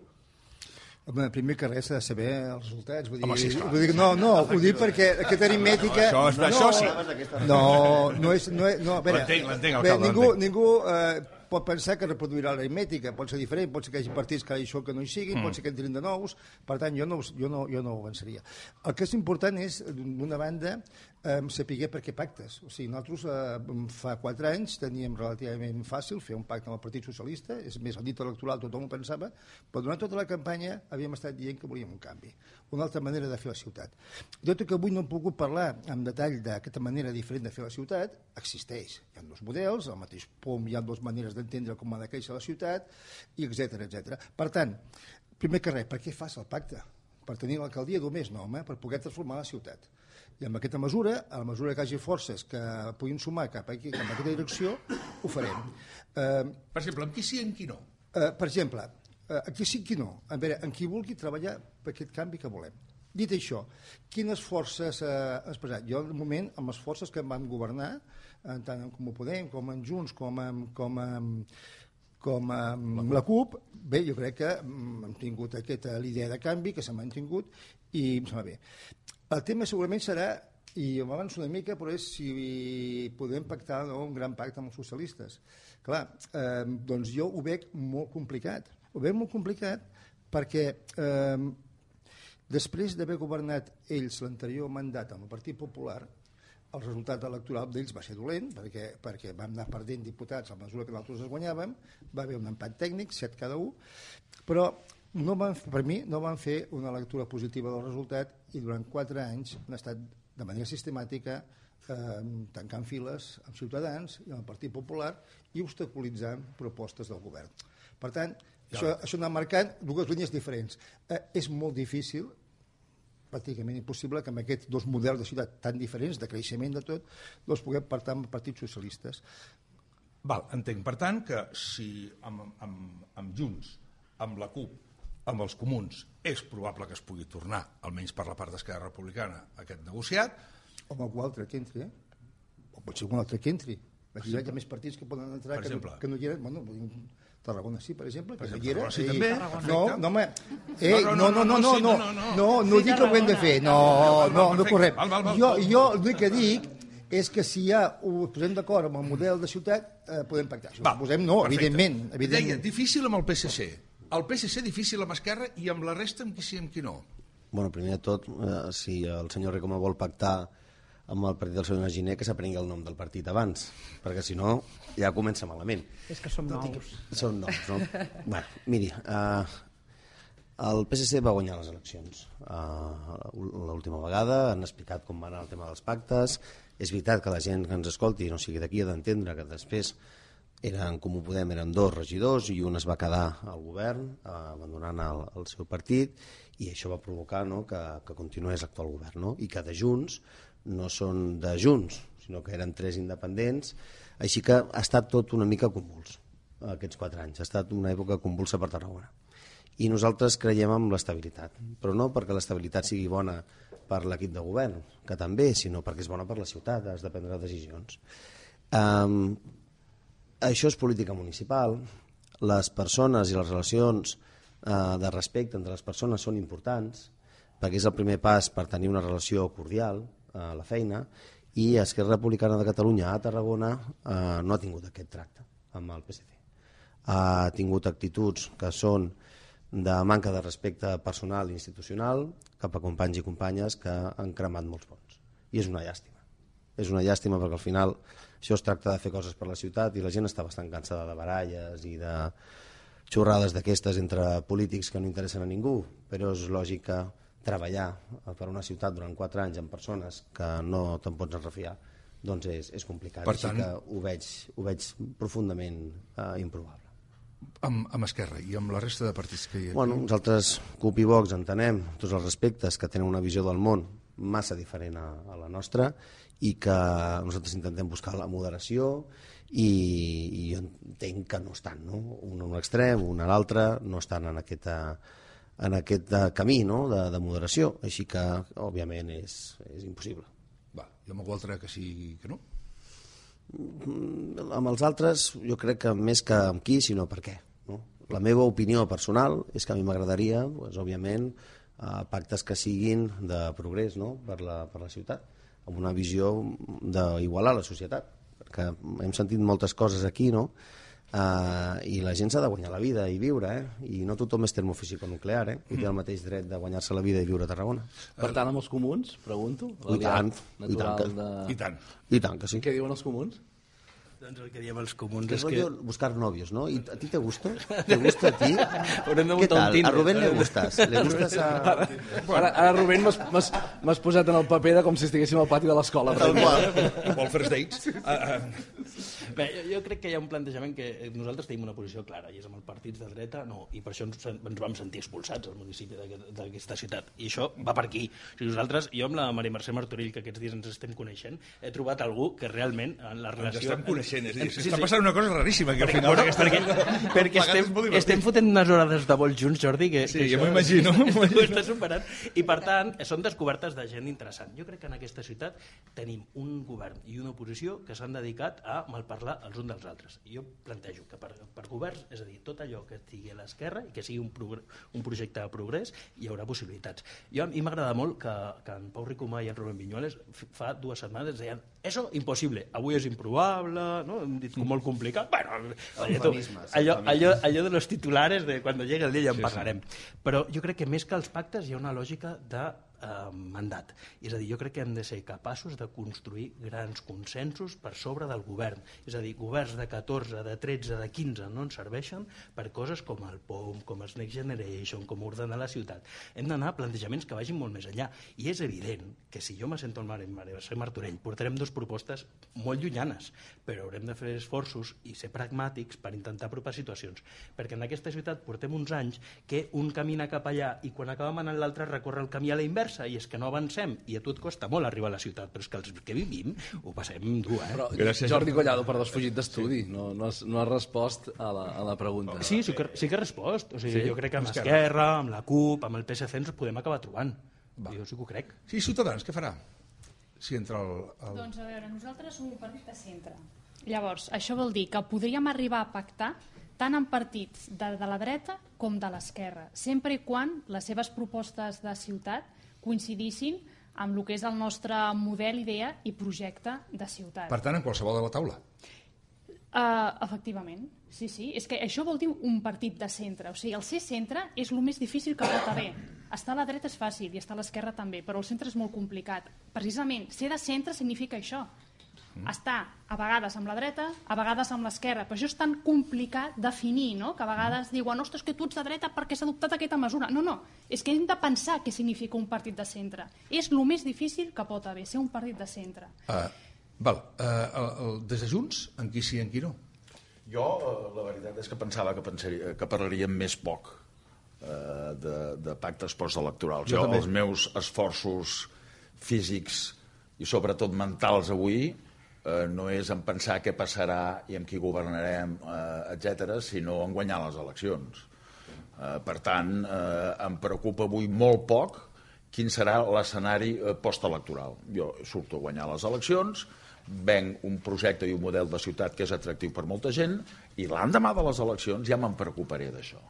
Home, primer que res s'ha de saber els resultats. Vull dir, home, sí, esclar. Ho dic perquè aquesta aritmètica... Això sí. No és... A veure, l'entenc, alcalde. Ningú pot pensar que reproduirà l'aritmètica, pot ser diferent, pot ser que hi hagi partits que això que no hi siguin, pot ser que entrin de nous, per tant jo no ho avançaria. El que és important és, d'una banda, saber per què pactes. O sigui, nosaltres fa 4 anys teníem relativament fàcil fer un pacte amb el Partit Socialista, és més, el dit electoral tothom ho pensava, però durant tota la campanya havíem estat dient que volíem un canvi, una altra manera de fer la ciutat. Tot i que avui no hem pogut parlar en detall d'aquesta manera diferent de fer la ciutat, existeix. Hi ha 2 models, al mateix POM hi ha 2 maneres d'entendre com ha de créixer la ciutat, i etc. Per tant, primer que res, per què fas el pacte? Per tenir l'alcaldia només? No, home, per poder transformar la ciutat. I amb aquesta mesura, a la mesura que hi hagi forces que puguin sumar cap a aquesta direcció, ho farem. Per exemple, amb qui sí i amb qui no? Per exemple, aquí sí i qui no. A veure, en qui vulgui treballar per aquest canvi que volem. Dit això, quines forces has posat? Jo, de moment, amb les forces que vam governar, tant en Comú Podem, com en Junts, com amb la CUP, bé, jo crec que hem tingut l'idea de canvi, que s'ha mantingut, i em sembla bé. El tema segurament serà, i m'avanço una mica, però és si podem pactar un gran pacte amb els socialistes. Clar, doncs jo ho veig molt complicat. Ho veig molt complicat perquè després d'haver governat ells l'anterior mandat amb el Partit Popular, el resultat electoral d'ells va ser dolent, perquè vam anar perdent diputats a mesura que nosaltres es guanyàvem, va haver un empat tècnic, 7 cada un, però per mi no van fer una lectura positiva del resultat i durant 4 anys han estat de manera sistemàtica tancant files amb Ciutadans i amb el Partit Popular i obstaculitzant propostes del govern. Per tant, això anar marcant 2 línies diferents. És molt difícil, pràcticament impossible, que amb aquests 2 models de ciutat tan diferents, de creixement de tot, doncs puguem pactar amb partits socialistes. Val, entenc. Per tant, que si amb Junts, amb la CUP amb els comuns és probable que es pugui tornar, almenys per la part d'Esquerra Republicana, aquest negociat. O amb algú altre que entri, o pot ser algun altre que entri. Hi ha més partits que poden entrar que no hi eren. Bueno, Tarragona sí, per exemple, que no hi era. Sí, també. No dic que ho hem de fer. No correm. Jo el que dic és que si ja ho posem d'acord amb el model de ciutat, podem pactar. Si ho posem, no, evidentment. Deia, difícil amb el PSC. El PSC difícil amb Esquerra i amb la resta amb qui sí, amb qui no. Bueno, primer de tot, si el senyor Ricoma vol pactar amb el partit del senyor Giner, que s'aprengui el nom del partit abans, perquè si no ja comença malament. És que som nous. Són nous, no? Bueno, miri, el PSC va guanyar les eleccions l'última vegada, han explicat com va anar el tema dels pactes. És veritat que la gent que ens escolti, no sigui d'aquí, ha d'entendre que després eren Comú Podem, eren 2 regidors i un es va quedar al govern abandonant el seu partit, i això va provocar que continués l'actual govern, no? I que de Junts no són de Junts, sinó que eren 3 independents, així que ha estat tot una mica convuls aquests 4 anys, ha estat una època convulsa per Tarragona. I nosaltres creiem en l'estabilitat, però no perquè l'estabilitat sigui bona per l'equip de govern, que també, sinó perquè és bona per la ciutat, has de prendre decisions. Això és política municipal, les persones i les relacions de respecte entre les persones són importants, perquè és el primer pas per tenir una relació cordial a la feina, i Esquerra Republicana de Catalunya a Tarragona no ha tingut aquest tracte amb el PSC. Ha tingut actituds que són de manca de respecte personal i institucional cap a companys i companyes que han cremat molts ponts. I és una llàstima. És una llàstima perquè al final això es tracta de fer coses per la ciutat i la gent està bastant cansada de baralles i de xorrades d'aquestes entre polítics que no interessen a ningú, però és lògic que treballar per una ciutat durant 4 anys amb persones que no te'n pots refiar, doncs és complicat. Per tant, així que ho veig profundament improbable. Amb Esquerra i amb la resta de partits que hi ha? Bueno, nosaltres, CUP i Vox, entenem tots els respectes que tenen una visió del món massa diferent a la nostra i que nosaltres intentem buscar la moderació i jo entenc que no estan, no? Un a un extrem, un a l'altre, no estan en aquest camí, no? de moderació, així que òbviament és impossible. I amb algú altre que sí que no? Amb els altres jo crec que més que amb qui, sinó per què, no? La meva opinió personal és que a mi m'agradaria, òbviament, pactes que siguin de progrés, no? per la ciutat, amb una visió d'igualar la societat, perquè hem sentit moltes coses aquí, no? I la gent s'ha de guanyar la vida i viure, i no tothom és termofísico-nuclear, i té el mateix dret de guanyar-se la vida i viure a Tarragona. Per tant, amb els comuns, pregunto? I tant, que sí. Què diuen els comuns? Doncs el que diem els comuns és que... buscar novios, ¿no? ¿Y a ti te gusta? ¿Te gusta a ti? ¿Qué tal? A Rubén le gustas. ¿Le gustas a...? Ara Rubén, m'has posat en el paper de com si estiguéssim al pati de l'escola. Vol first dates. Bé, jo crec que hi ha un plantejament que nosaltres tenim una posició clara, i és amb els partits de dreta, no, i per això ens vam sentir expulsats al municipi d'aquesta ciutat. I això va per aquí. Nosaltres, jo amb la Maria Mercè Martorell, que aquests dies ens estem coneixent, he trobat algú que realment en la relació... Està passant una cosa raríssima aquí al final. Perquè estem fotent unes hores de vol junts, Jordi, que sí, jo m'ho imagino. Ho està superant. I per tant, són descobertes de gent interessant. Jo crec que en aquesta ciutat tenim un govern i una oposició que s'han dedicat a malparlar els uns dels altres. I jo plantejo que per governs, és a dir, tot allò que estigui a l'esquerra i que sigui un projecte de progrés, hi haurà possibilitats. A mi m'agrada molt que en Pau Ricomà i en Rubén Viñuales fa 2 setmanes deien eso impossible, avui és improbable, no? Hem dit molt complicat. Bueno, allò de los titulares de quan llegue el dia ja en parlarem. Però jo crec que més que els pactes hi ha una lògica de mandat. És a dir, jo crec que hem de ser capaços de construir grans consensos per sobre del govern. És a dir, governs de 14, de 13, de 15 no ens serveixen per coses com el POM, com el Next Generation, com ordenar la ciutat. Hem d'anar a plantejaments que vagin molt més enllà. I és evident que si jo m'assento al Martorell portarem 2 propostes molt llunyanes, però haurem de fer esforços i ser pragmàtics per intentar apropar situacions. Perquè en aquesta ciutat portem uns anys que un camina cap allà i quan acabem anant l'altre recorre el camí a la inversa. inversa, i és que no avancem, i a tu et costa molt arribar a la ciutat, però és que els que vivim ho passem dur, Però Gràcies. Jordi Collado, perdó, has fugit d'estudi, no has respost a la pregunta. Sí que he respost. O sigui, jo crec que amb Esquerra, amb la CUP, amb el PSC ens podem acabar trobant. Jo sí que ho crec. Sí, Ciutadans, què farà? Si entra Doncs a veure, nosaltres som un partit de centre. Llavors, això vol dir que podríem arribar a pactar tant en partits de la dreta com de l'esquerra, sempre i quan les seves propostes de ciutat coincidissin amb el que és el nostre model, idea i projecte de ciutat. Per tant, en qualsevol de la taula. Efectivament, sí. És que això vol dir un partit de centre. O sigui, el ser centre és el més difícil que pot haver. Estar a la dreta és fàcil i estar a l'esquerra també, però el centre és molt complicat. Precisament, ser de centre significa això. Estar a vegades amb la dreta, a vegades amb l'esquerra, però això és tan complicat definir, no? Que a vegades diuen, ostres, que tu ets de dreta perquè s'ha adoptat aquesta mesura. No, és que hem de pensar què significa un partit de centre. És el més difícil que pot haver, ser un partit de centre. Des de Junts, en qui sí i en qui no? Jo, la veritat és que pensava que parlaríem més poc de pactes postelectorals. Jo els meus esforços físics i sobretot mentals avui no és en pensar què passarà i amb qui governarem, etc., sinó en guanyar les eleccions. Per tant, em preocupa avui molt poc quin serà l'escenari postelectoral. Jo surto a guanyar les eleccions, venc un projecte i un model de ciutat que és atractiu per molta gent i l'endemà de les eleccions ja me'n preocuparé d'això.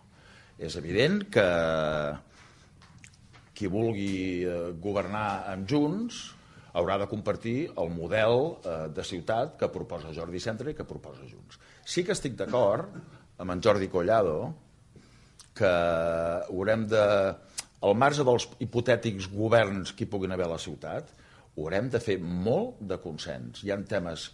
És evident que qui vulgui governar amb Junts haurà de compartir el model de ciutat que proposa Jordi Centre i que proposa Junts. Sí que estic d'acord amb en Jordi Collado que haurem de, al marge dels hipotètics governs que hi puguin haver a la ciutat, haurem de fer molt de consens. Hi ha temes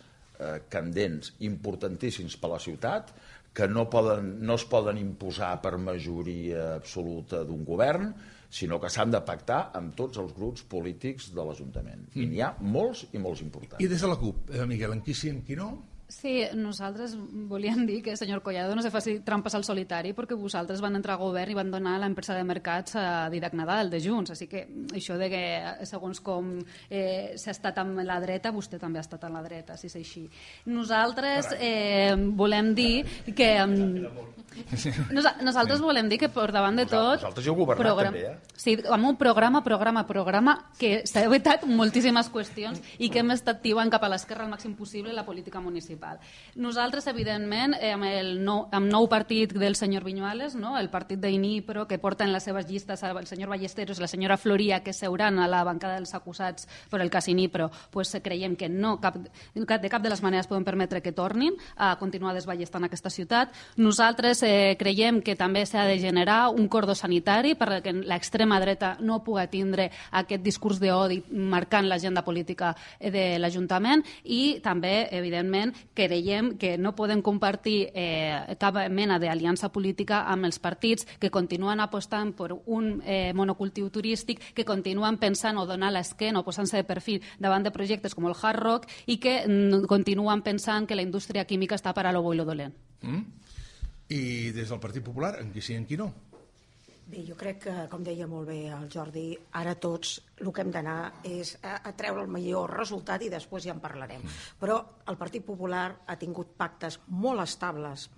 candents, importantíssims per a la ciutat, que no es poden imposar per majoria absoluta d'un govern, sinó que s'han de pactar amb tots els grups polítics de l'Ajuntament. I n'hi ha molts i molts importants. I des de la CUP, Miguel, en qui sí, en qui no? Sí, nosaltres volíem dir que, senyor Collado, no se faci trampes al solitari perquè vosaltres van entrar a govern i van donar l'empresa de mercats a Didac Nadal de Junts, així que això de que segons com s'ha estat amb la dreta, vostè també ha estat a la dreta, si és així. Nosaltres volem dir que nosaltres volem dir que per davant de tot Vosaltres heu governat també, sí, amb un programa que s'ha evitat moltíssimes qüestions i que hem estat tibant cap a l'esquerra al màxim possible la política municipal. Nosaltres, evidentment, amb nou partit del senyor Viñuales, no? El partit d'Inipro, que porta en les seves llistes el senyor Ballesteros i la senyora Floria, que seuran a la bancada dels acusats per el cas Inipro, pues creiem que no, de cap de les maneres podem permetre que tornin a continuar desballestant aquesta ciutat. Nosaltres creiem que també s'ha de generar un cordó sanitari perquè l'extrema dreta no pugui tindre aquest discurs d'odi marcant l'agenda política de l'Ajuntament i també, evidentment, creiem que no podem compartir cap mena d'aliança política amb els partits que continuen apostant per un monocultiu turístic, que continuen pensant o donar l'esquena o posant-se de perfil davant de projectes com el Hard Rock i que continuen pensant que la indústria química està per a lo bo i lo dolent. I des del Partit Popular, en qui sí i en qui no? Bé, jo crec que, com deia molt bé el Jordi, ara tots el que hem d'anar és a treure el millor resultat i després ja en parlarem. Però el Partit Popular ha tingut pactes molt estables,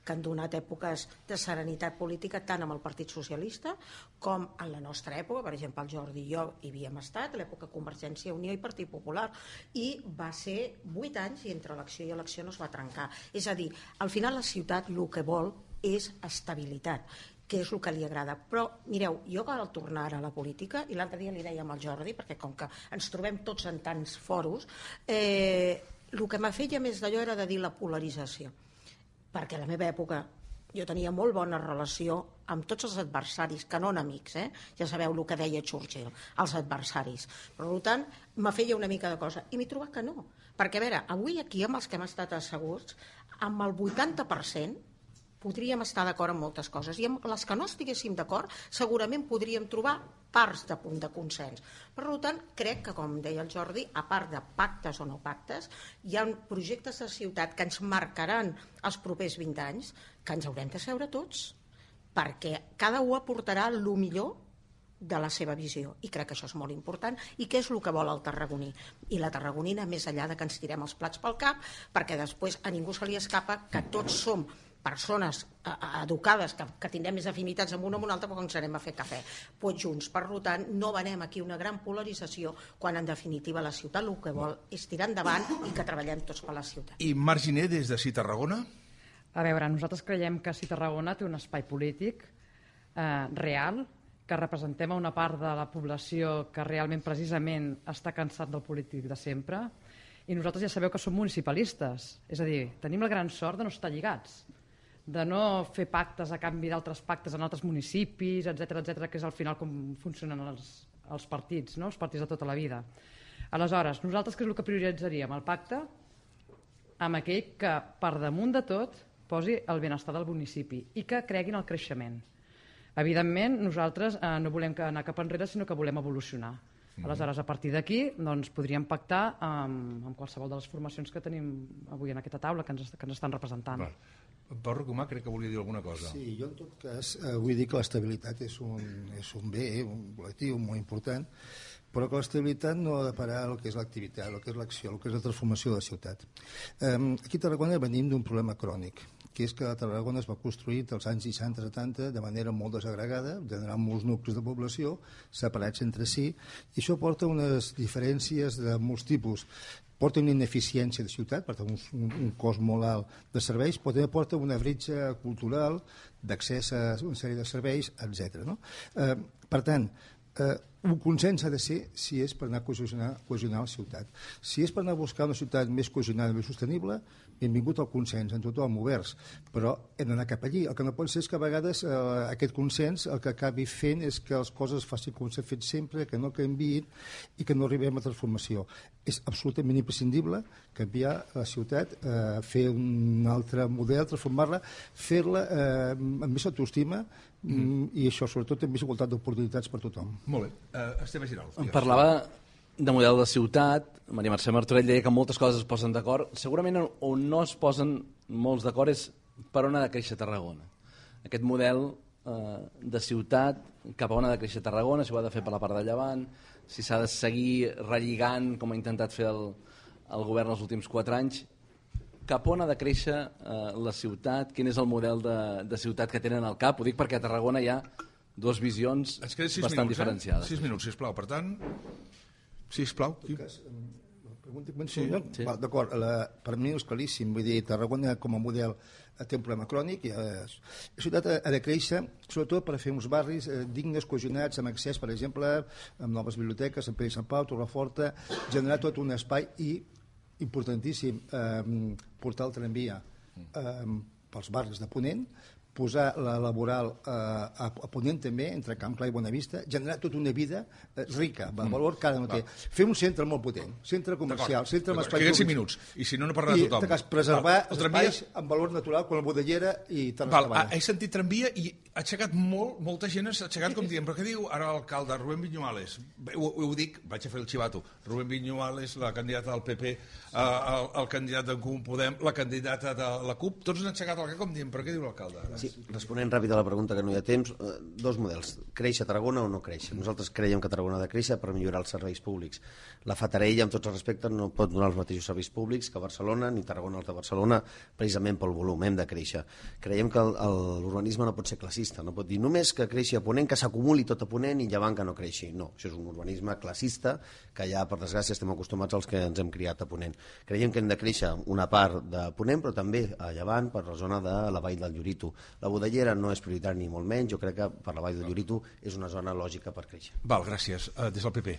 que han donat èpoques de serenitat política tant amb el Partit Socialista com en la nostra època. Per exemple, el Jordi i jo hi havíem estat, l'època Convergència i Unió i Partit Popular, i va ser 8 anys i entre elecció i elecció no es va trencar. És a dir, al final la ciutat el que vol és estabilitat, que és el que li agrada. Però, mireu, jo al tornar a la política, i l'altre dia li dèiem al Jordi, perquè com que ens trobem tots en tants foros, el que m'ha fet ja més d'allò era de dir la polarització. Perquè a la meva època jo tenia molt bona relació amb tots els adversaris, que no amics, ja sabeu el que deia Churchill, els adversaris. Per tant, me feia una mica de cosa. I m'he trobat que no. Perquè, a veure, avui aquí, amb els que hem estat asseguts, amb el 80%, podríem estar d'acord en moltes coses i amb les que no estiguéssim d'acord segurament podríem trobar parts de punt de consens. Per tant, crec que, com deia el Jordi, a part de pactes o no pactes, hi ha projectes de ciutat que ens marcaran els propers 20 anys que ens haurem de seure tots, perquè cada un aportarà el millor de la seva visió, i crec que això és molt important, i què és el que vol el tarragoní i la tarragonina, més enllà de que ens tirem els plats pel cap, perquè després a ningú se li escapa que tots som persones educades, que tindrem més afinitats amb una o amb una altra, però ens anem a fer cafè junts. Per tant, no venem aquí una gran polarització, quan en definitiva la ciutat el que vol és tirar endavant i que treballem tots per la ciutat. I Marc Giner, des de Sí Tarragona? A veure, nosaltres creiem que Sí Tarragona té un espai polític real, que representem a una part de la població que realment precisament està cansat del polític de sempre, i nosaltres ja sabeu que som municipalistes, és a dir, tenim la gran sort de no estar lligats, de no fer pactes a canvi d'altres pactes en altres municipis, etc, que és al final com funcionen els partits, no? Els partits de tota la vida. Aleshores, nosaltres què és el que prioritzaríem? El pacte amb aquell que per damunt de tot posi el benestar del municipi i que creguin el creixement. Evidentment, nosaltres no volem anar cap enrere, sinó que volem evolucionar. Aleshores, a partir d'aquí, doncs, podríem pactar amb qualsevol de les formacions que tenim avui en aquesta taula, que ens estan representant. Pau Ricomà crec que volia dir alguna cosa. Sí, jo en tot cas vull dir que l'estabilitat és un bé, un col·lectiu molt important, però que l'estabilitat no ha de parar el que és l'activitat, el que és l'acció, el que és la transformació de la ciutat. Aquí a Tarragona venim d'un problema crònic, que és que Tarragona es va construir als anys 60-70 de manera molt desagregada, generant molts nuclis de població separats entre si, i això porta unes diferències de molts tipus. Porta una ineficiència de ciutat, per tant un cost molt alt de serveis, però també porta una bretxa cultural d'accés a una sèrie de serveis, etc. No? Per tant, un consens ha de ser si és per anar a cohesionar la ciutat. Si és per anar a buscar una ciutat més cohesionada, més sostenible, benvingut al consens, en tothom, oberts, però hem d'anar cap allí. El que no pot ser és que a vegades aquest consens el que acabi fent és que les coses es facin com s'ha fet sempre, que no canviïn i que no arribem a transformació. És absolutament imprescindible canviar la ciutat, fer un altre model, transformar-la, fer-la amb més autoestima i això, sobretot, amb més igualtat d'oportunitats per tothom. Molt bé. Esteve Giral. Em parlava de model de ciutat, Maria Mercè Martorell deia que moltes coses es posen d'acord. Segurament on no es posen molts d'acord és per on ha de créixer Tarragona. Aquest model de ciutat, cap a on ha de créixer Tarragona, si ho ha de fer per la part de llevant, si s'ha de seguir relligant, com ha intentat fer el govern els últims 4 anys, cap on ha de créixer la ciutat, quin és el model de ciutat que tenen al cap. Ho dic perquè a Tarragona hi ha dues visions bastant diferenciades. 6 minuts, sisplau. Per tant, sisplau. Sí. D'acord, per mi és claríssim. Vull dir, Tarragona com a model té un problema crònic. La ciutat ha de créixer, sobretot per fer uns barris dignes, cohesionats, amb accés, per exemple, amb noves biblioteques, Sant Pere i Sant Pau, Torreforta, generar tot un espai i, importantíssim, portar el tramvia pels barris de Ponent, posar la laboral a Ponent també, entre Camp Clar i Bonavista, generar tota una vida rica, de valor que ara no té. Fer un centre molt potent, centre comercial, centre amb espais públics. 5 minuts, i si no parlarà tothom. I preservar espais amb valor natural, com la Bodellera i Terrassa. He sentit tramvia i ha aixecat molta gent s'ha aixecat com dient, però què diu ara l'alcalde, Rubén Viñuales? Ho dic, vaig a fer el xivato. Rubén Viñuales, la candidata del PP, el candidat d'en Comú Podem, la candidata de la CUP, tots han aixecat el cap com dient, però què diu l'alcalde ara? Sí, responent ràpid a la pregunta, que no hi ha temps, dos models, créixer Tarragona o no créixer. Nosaltres creiem que Tarragona ha de créixer per millorar els serveis públics. La Fatarella, amb tots els respectes, no pot donar els mateixos serveis públics que Barcelona, ni Tarragona els de Barcelona, precisament pel volum, hem de créixer. Creiem que l'urbanisme no pot ser classista, no pot dir només que creixi a Ponent, que s'acumuli tot a Ponent i llevant que no creixi. No, això és un urbanisme classista que ja, per desgràcia, estem acostumats als que ens hem criat a Ponent. Creiem que hem de créixer una part de Ponent, però també a llevant per la zona de la Vall del Llorito. La Bodellera no és prioritari ni molt menys, jo crec que per la Vall del Llorito és una zona lògica per créixer. Val, gràcies. Des del PP.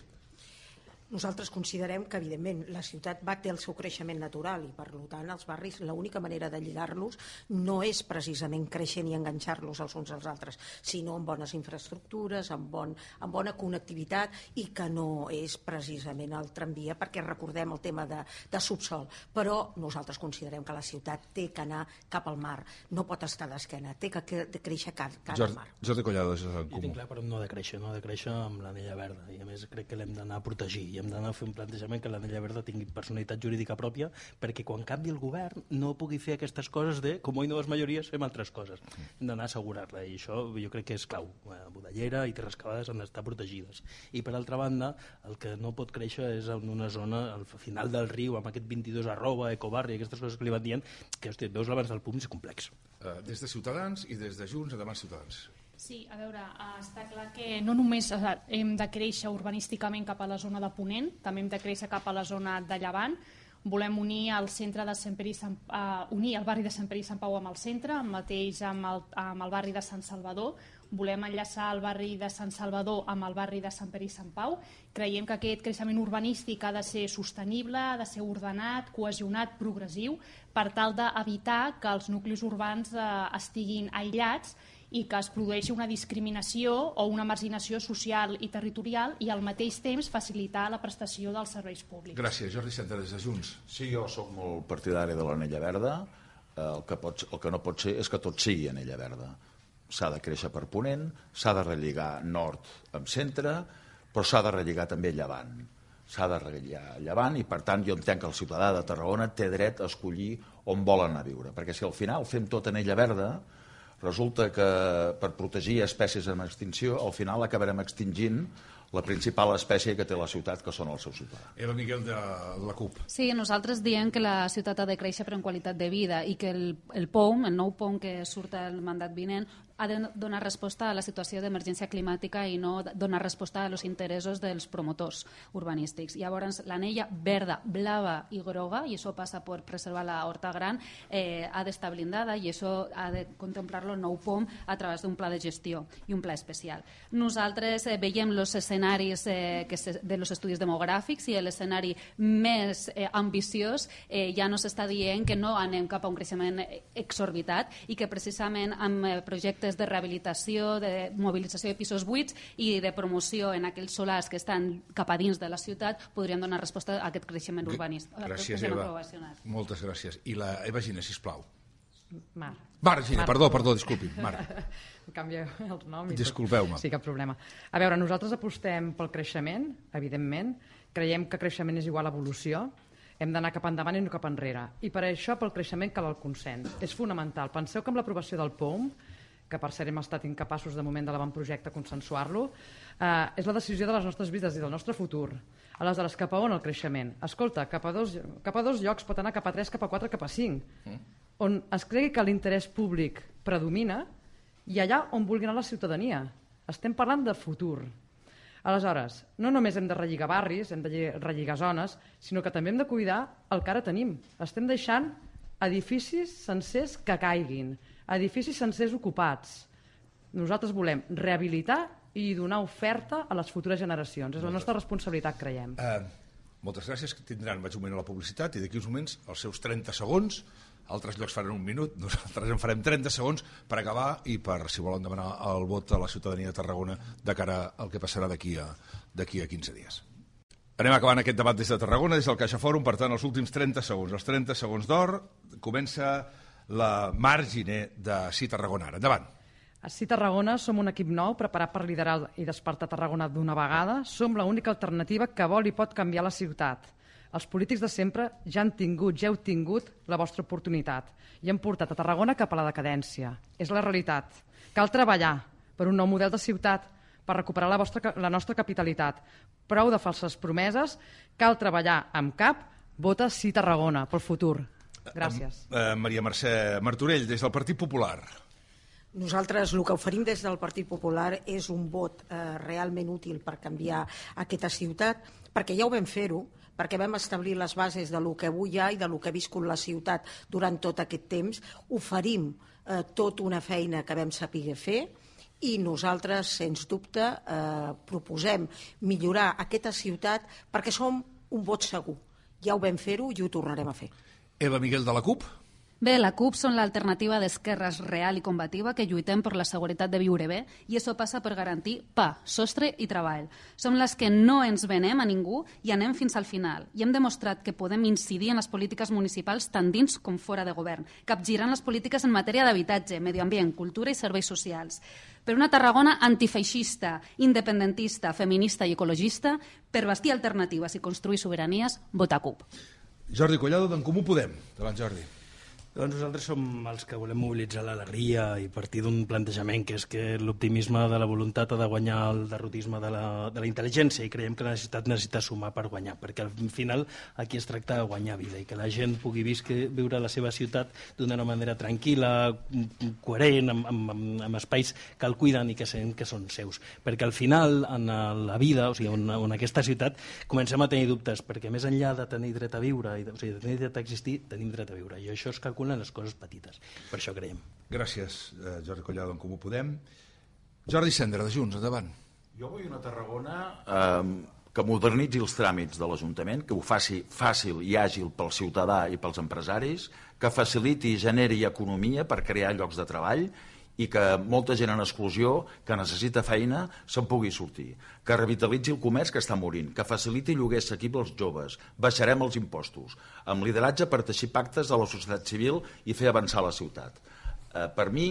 Nosaltres considerem que, evidentment, la ciutat té el seu creixement natural i, per tant, els barris, l'única manera de lligar-los no és precisament créixer ni enganxar-los els uns als altres, sinó amb bones infraestructures, amb bona connectivitat i que no és precisament el tramvia, perquè recordem el tema de subsol. Però nosaltres considerem que la ciutat té que anar cap al mar, no pot estar d'esquena, té que créixer cara al mar. Jordi Collado, jo tinc clar per on no ha de créixer, amb l'anella verda, i a més crec que l'hem d'anar a protegir. i hem d'anar a fer un plantejament que l'Anella Verda tingui personalitat jurídica pròpia, perquè quan canvi el govern no pugui fer aquestes coses de, com hi noves majories, fem altres coses. Hem d'anar a assegurar-la, i això jo crec que és clau. Budellera i Terres Cavades han d'estar protegides. I per altra banda, el que no pot créixer és en una zona al final del riu, amb aquest 22 @ ecobarri, aquestes coses que li van dient, que hòstia, veus l'abans del punt, és complex. Des de Ciutadans i des de Junts, endavant Ciutadans. Sí, a veure, està clar que no només hem de créixer urbanísticament cap a la zona de Ponent, també hem de créixer cap a la zona de Llevant. Volem unir el centre de Sant Pere i unir el barri de Sant Pere i Sant Pau amb el centre, el mateix amb el barri de Sant Salvador. Volem enllaçar el barri de Sant Salvador amb el barri de Sant Pere i Sant Pau. Creiem que aquest creixement urbanístic ha de ser sostenible, ha de ser ordenat, cohesionat, progressiu, per tal d'evitar que els nuclis urbans estiguin aïllats i que es produeixi una discriminació o una marginació social i territorial i al mateix temps facilitar la prestació dels serveis públics. Gràcies. Jordi Center, des de Junts. Sí, jo sóc molt partidari de l'Anella Verda. El que no pot ser és que tot sigui Anella Verda. S'ha de créixer per Ponent, s'ha de relligar nord amb centre, però s'ha de relligar també Llevant. S'ha de relligar Llevant i, per tant, jo entenc que el ciutadà de Tarragona té dret a escollir on vol anar a viure. Perquè si al final fem tot Anella Verda, resulta que per protegir espècies en extinció, al final acabarem extingint la principal espècie que té la ciutat, que són els seus ciutadans. Eva Miguel, de la CUP. Sí, nosaltres diem que la ciutat ha de créixer per en qualitat de vida i que el POUM, el nou POUM que surt al mandat vinent, ha de donar resposta a la situació d'emergència climàtica i no donar resposta als interessos dels promotors urbanístics. Llavors, l'anella verda, blava i groga, i això passa per preservar la horta gran, ha d'estar blindada i això ha de contemplar-lo el nou POM a través d'un pla de gestió i un pla especial. Nosaltres veiem els escenaris de los estudis demogràfics i l'escenari més ambiciós ja no s'està dient que no anem cap a un creixement exorbitat i que precisament amb projectes de rehabilitació, de mobilització de pisos buits i de promoció en aquells solars que estan cap a dins de la ciutat podrien donar resposta a aquest creixement urbanístic. Gràcies, Eva. Moltes gràcies. I la Eva Giner, sisplau. Mar Giner, perdó, disculpi. Mar. Canvia el nom. Disculpeu-me. Sí, cap problema. A veure, nosaltres apostem pel creixement, evidentment. Creiem que creixement és igual a evolució. Hem d'anar cap endavant i no cap enrere. I per això, pel creixement, cal el consens. És fonamental. Penseu que amb l'aprovació del POUM, que per cert hem estat incapaços de moment de l'avantprojecte consensuar-lo, és la decisió de les nostres vides i del nostre futur. Aleshores, cap a on el creixement? Escolta, cap a dos llocs, pot anar cap a 3, cap a 4, cap a 5. On es cregui que l'interès públic predomina i allà on vulgui anar la ciutadania. Estem parlant de futur. Aleshores, no només hem de relligar barris, hem de relligar zones, sinó que també hem de cuidar el que ara tenim. Estem deixant edificis sencers que caiguin, edificis sencers ocupats. Nosaltres volem rehabilitar i donar oferta a les futures generacions. És la nostra responsabilitat, creiem. Moltes gràcies, que tindran, vaig un moment a la publicitat i d'aquí uns moments els seus 30 segons, altres llocs faran un minut, nosaltres en farem 30 segons per acabar i per, si volen demanar el vot a la ciutadania de Tarragona de cara al que passarà d'aquí a 15 dies. Anem acabant aquest debat des de Tarragona, des del CaixaFòrum, per tant, els últims 30 segons. Els 30 segons d'or, comença la Mar Giner de Sí Tarragona. Endavant. A Sí Tarragona som un equip nou preparat per liderar i despertar Tarragona d'una vegada. Som l'única alternativa que vol i pot canviar la ciutat. Els polítics de sempre ja heu tingut la vostra oportunitat i han portat a Tarragona cap a la decadència. És la realitat. Cal treballar per un nou model de ciutat, per recuperar la nostra capitalitat. Prou de falses promeses, cal treballar amb cap, vota Sí Tarragona pel futur. Gràcies. Maria Mercè Martorell, des del Partit Popular. Nosaltres el que oferim des del Partit Popular és un vot realment útil per canviar aquesta ciutat, perquè ja ho vam fer-ho, perquè vam establir les bases de lo que avui hi ha i de lo que ha viscut la ciutat durant tot aquest temps. Oferim tota una feina que vam saber fer i nosaltres, sens dubte, proposem millorar aquesta ciutat perquè som un vot segur. Ja ho vam fer-ho i ho tornarem a fer. Eva Miguel, de la CUP. Bé, la CUP són l'alternativa d'esquerres real i combativa que lluitem per la seguretat de viure bé i això passa per garantir pa, sostre i treball. Som les que no ens venem a ningú i anem fins al final. I hem demostrat que podem incidir en les polítiques municipals tant dins com fora de govern, capgirant les polítiques en matèria d'habitatge, medi ambient, cultura i serveis socials. Per una Tarragona antifeixista, independentista, feminista i ecologista, per bastir alternatives i construir sobiranies, vota CUP. Jordi Collado, d'en Comú Podem. Davant, Jordi. Doncs nosaltres som els que volem mobilitzar l'alegria i partir d'un plantejament que és que l'optimisme de la voluntat ha de guanyar el derrotisme de la intel·ligència i creiem que la necessitat necessita sumar per guanyar, perquè al final aquí es tracta de guanyar vida i que la gent pugui viure la seva ciutat d'una manera tranquil·la, coherent, amb espais que el cuiden i que sent que són seus. Perquè al final, en la vida, o sigui, en aquesta ciutat, comencem a tenir dubtes, perquè més enllà de tenir dret a viure, o sigui, de tenir dret a existir, tenim dret a viure, i això es calcula en les coses petites. Per això creiem. Gràcies, Jordi Collado, en Comú Podem. Jordi Cendra, de Junts, endavant. Jo vull una Tarragona que modernitzi els tràmits de l'Ajuntament, que ho faci fàcil i àgil pel ciutadà i pels empresaris, que faciliti i generi economia per crear llocs de treball i que molta gent en exclusió que necessita feina se'n pugui sortir, que revitalitzi el comerç que està morint, que faciliti lloguer assequible als joves, baixarem els impostos, amb lideratge per teixir pactes de la societat civil i fer avançar la ciutat. Per mi,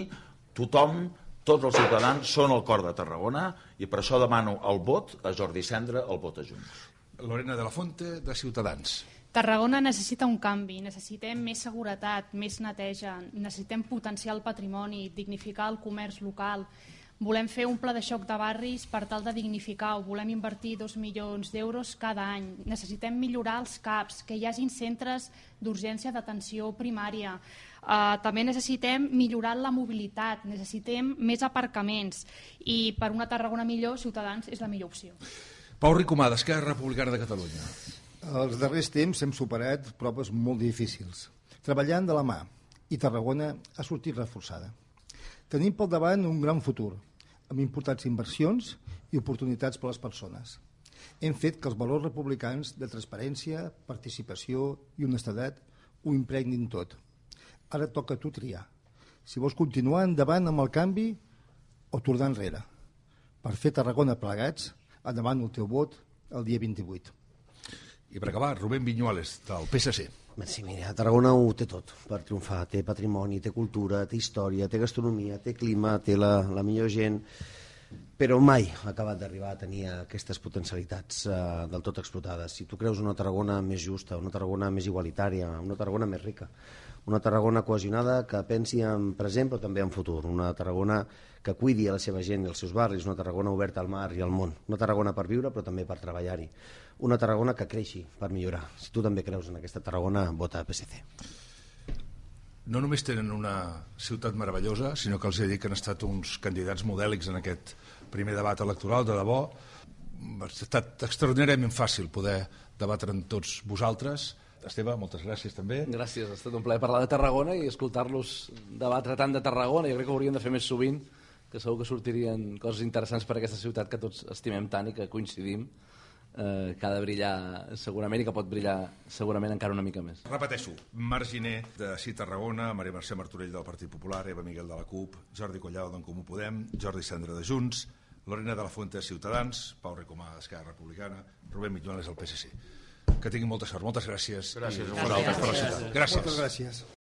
tothom, tots els ciutadans són el cor de Tarragona i per això demano el vot a Jordi Cendra, el vot a Junts. Lorena de la Fuente, de Ciutadans. Tarragona necessita un canvi, necessitem més seguretat, més neteja, necessitem potenciar el patrimoni, dignificar el comerç local. Volem fer un pla de xoc de barris per tal de dignificar-ho, volem invertir 2 milions d'euros cada any. Necessitem millorar els CAPs, que hi hagin centres d'urgència d'atenció primària. També necessitem millorar la mobilitat, necessitem més aparcaments i per una Tarragona millor, Ciutadans és la millor opció. Pau Ricomà, d'Esquerra Republicana de Catalunya. Els darrers temps hem superat proves molt difícils, treballant de la mà, i Tarragona ha sortit reforçada. Tenim pel davant un gran futur, amb importants inversions i oportunitats per a les persones. Hem fet que els valors republicans de transparència, participació i honestedat ho impregnin tot. Ara toca a tu triar. Si vols continuar endavant amb el canvi o tornar enrere. Per fer Tarragona plegats, endavant el teu vot el dia 28. I per acabar, Rubén Viñuales, del PSC. Sí, mira, Tarragona ho té tot per triomfar. Té patrimoni, té cultura, té història, té gastronomia, té clima, té la millor gent, però mai ha acabat d'arribar a tenir aquestes potencialitats del tot explotades. Si tu creus una Tarragona més justa, una Tarragona més igualitària, una Tarragona més rica, una Tarragona cohesionada que pensi en present però també en futur, una Tarragona que cuidi a la seva gent i els seus barris, una Tarragona oberta al mar i al món, una Tarragona per viure però també per treballar-hi, una Tarragona que creixi per millorar. Si tu també creus en aquesta Tarragona, vota PSC. No només tenen una ciutat meravellosa, sinó que els he dit que han estat uns candidats modèlics en aquest primer debat electoral, de debò. Ha estat extraordinàriament fàcil poder debatre amb tots vosaltres. Esteve, moltes gràcies també. Gràcies, ha estat un plaer parlar de Tarragona i escoltar-los debatre tant de Tarragona. Jo crec que ho hauríem de fer més sovint, que segur que sortirien coses interessants per a aquesta ciutat que tots estimem tant i que coincidim, que ha de brillar segurament i que pot brillar segurament encara una mica més. Repeteixo, Marc Giner de Sí Tarragona, Maria Mercè Martorell del Partit Popular, Eva Miguel de la CUP, Jordi Collado d'en Comú Podem, Jordi Cendra de Junts, Lorena de la Fuente de Ciutadans, Pau Ricomà d'Esquerra Republicana, Rubén Viñuales del PSC. Que tinguin molta sort. Moltes gràcies. Gràcies a vosaltres per la ciutat. Gràcies. Moltes gràcies.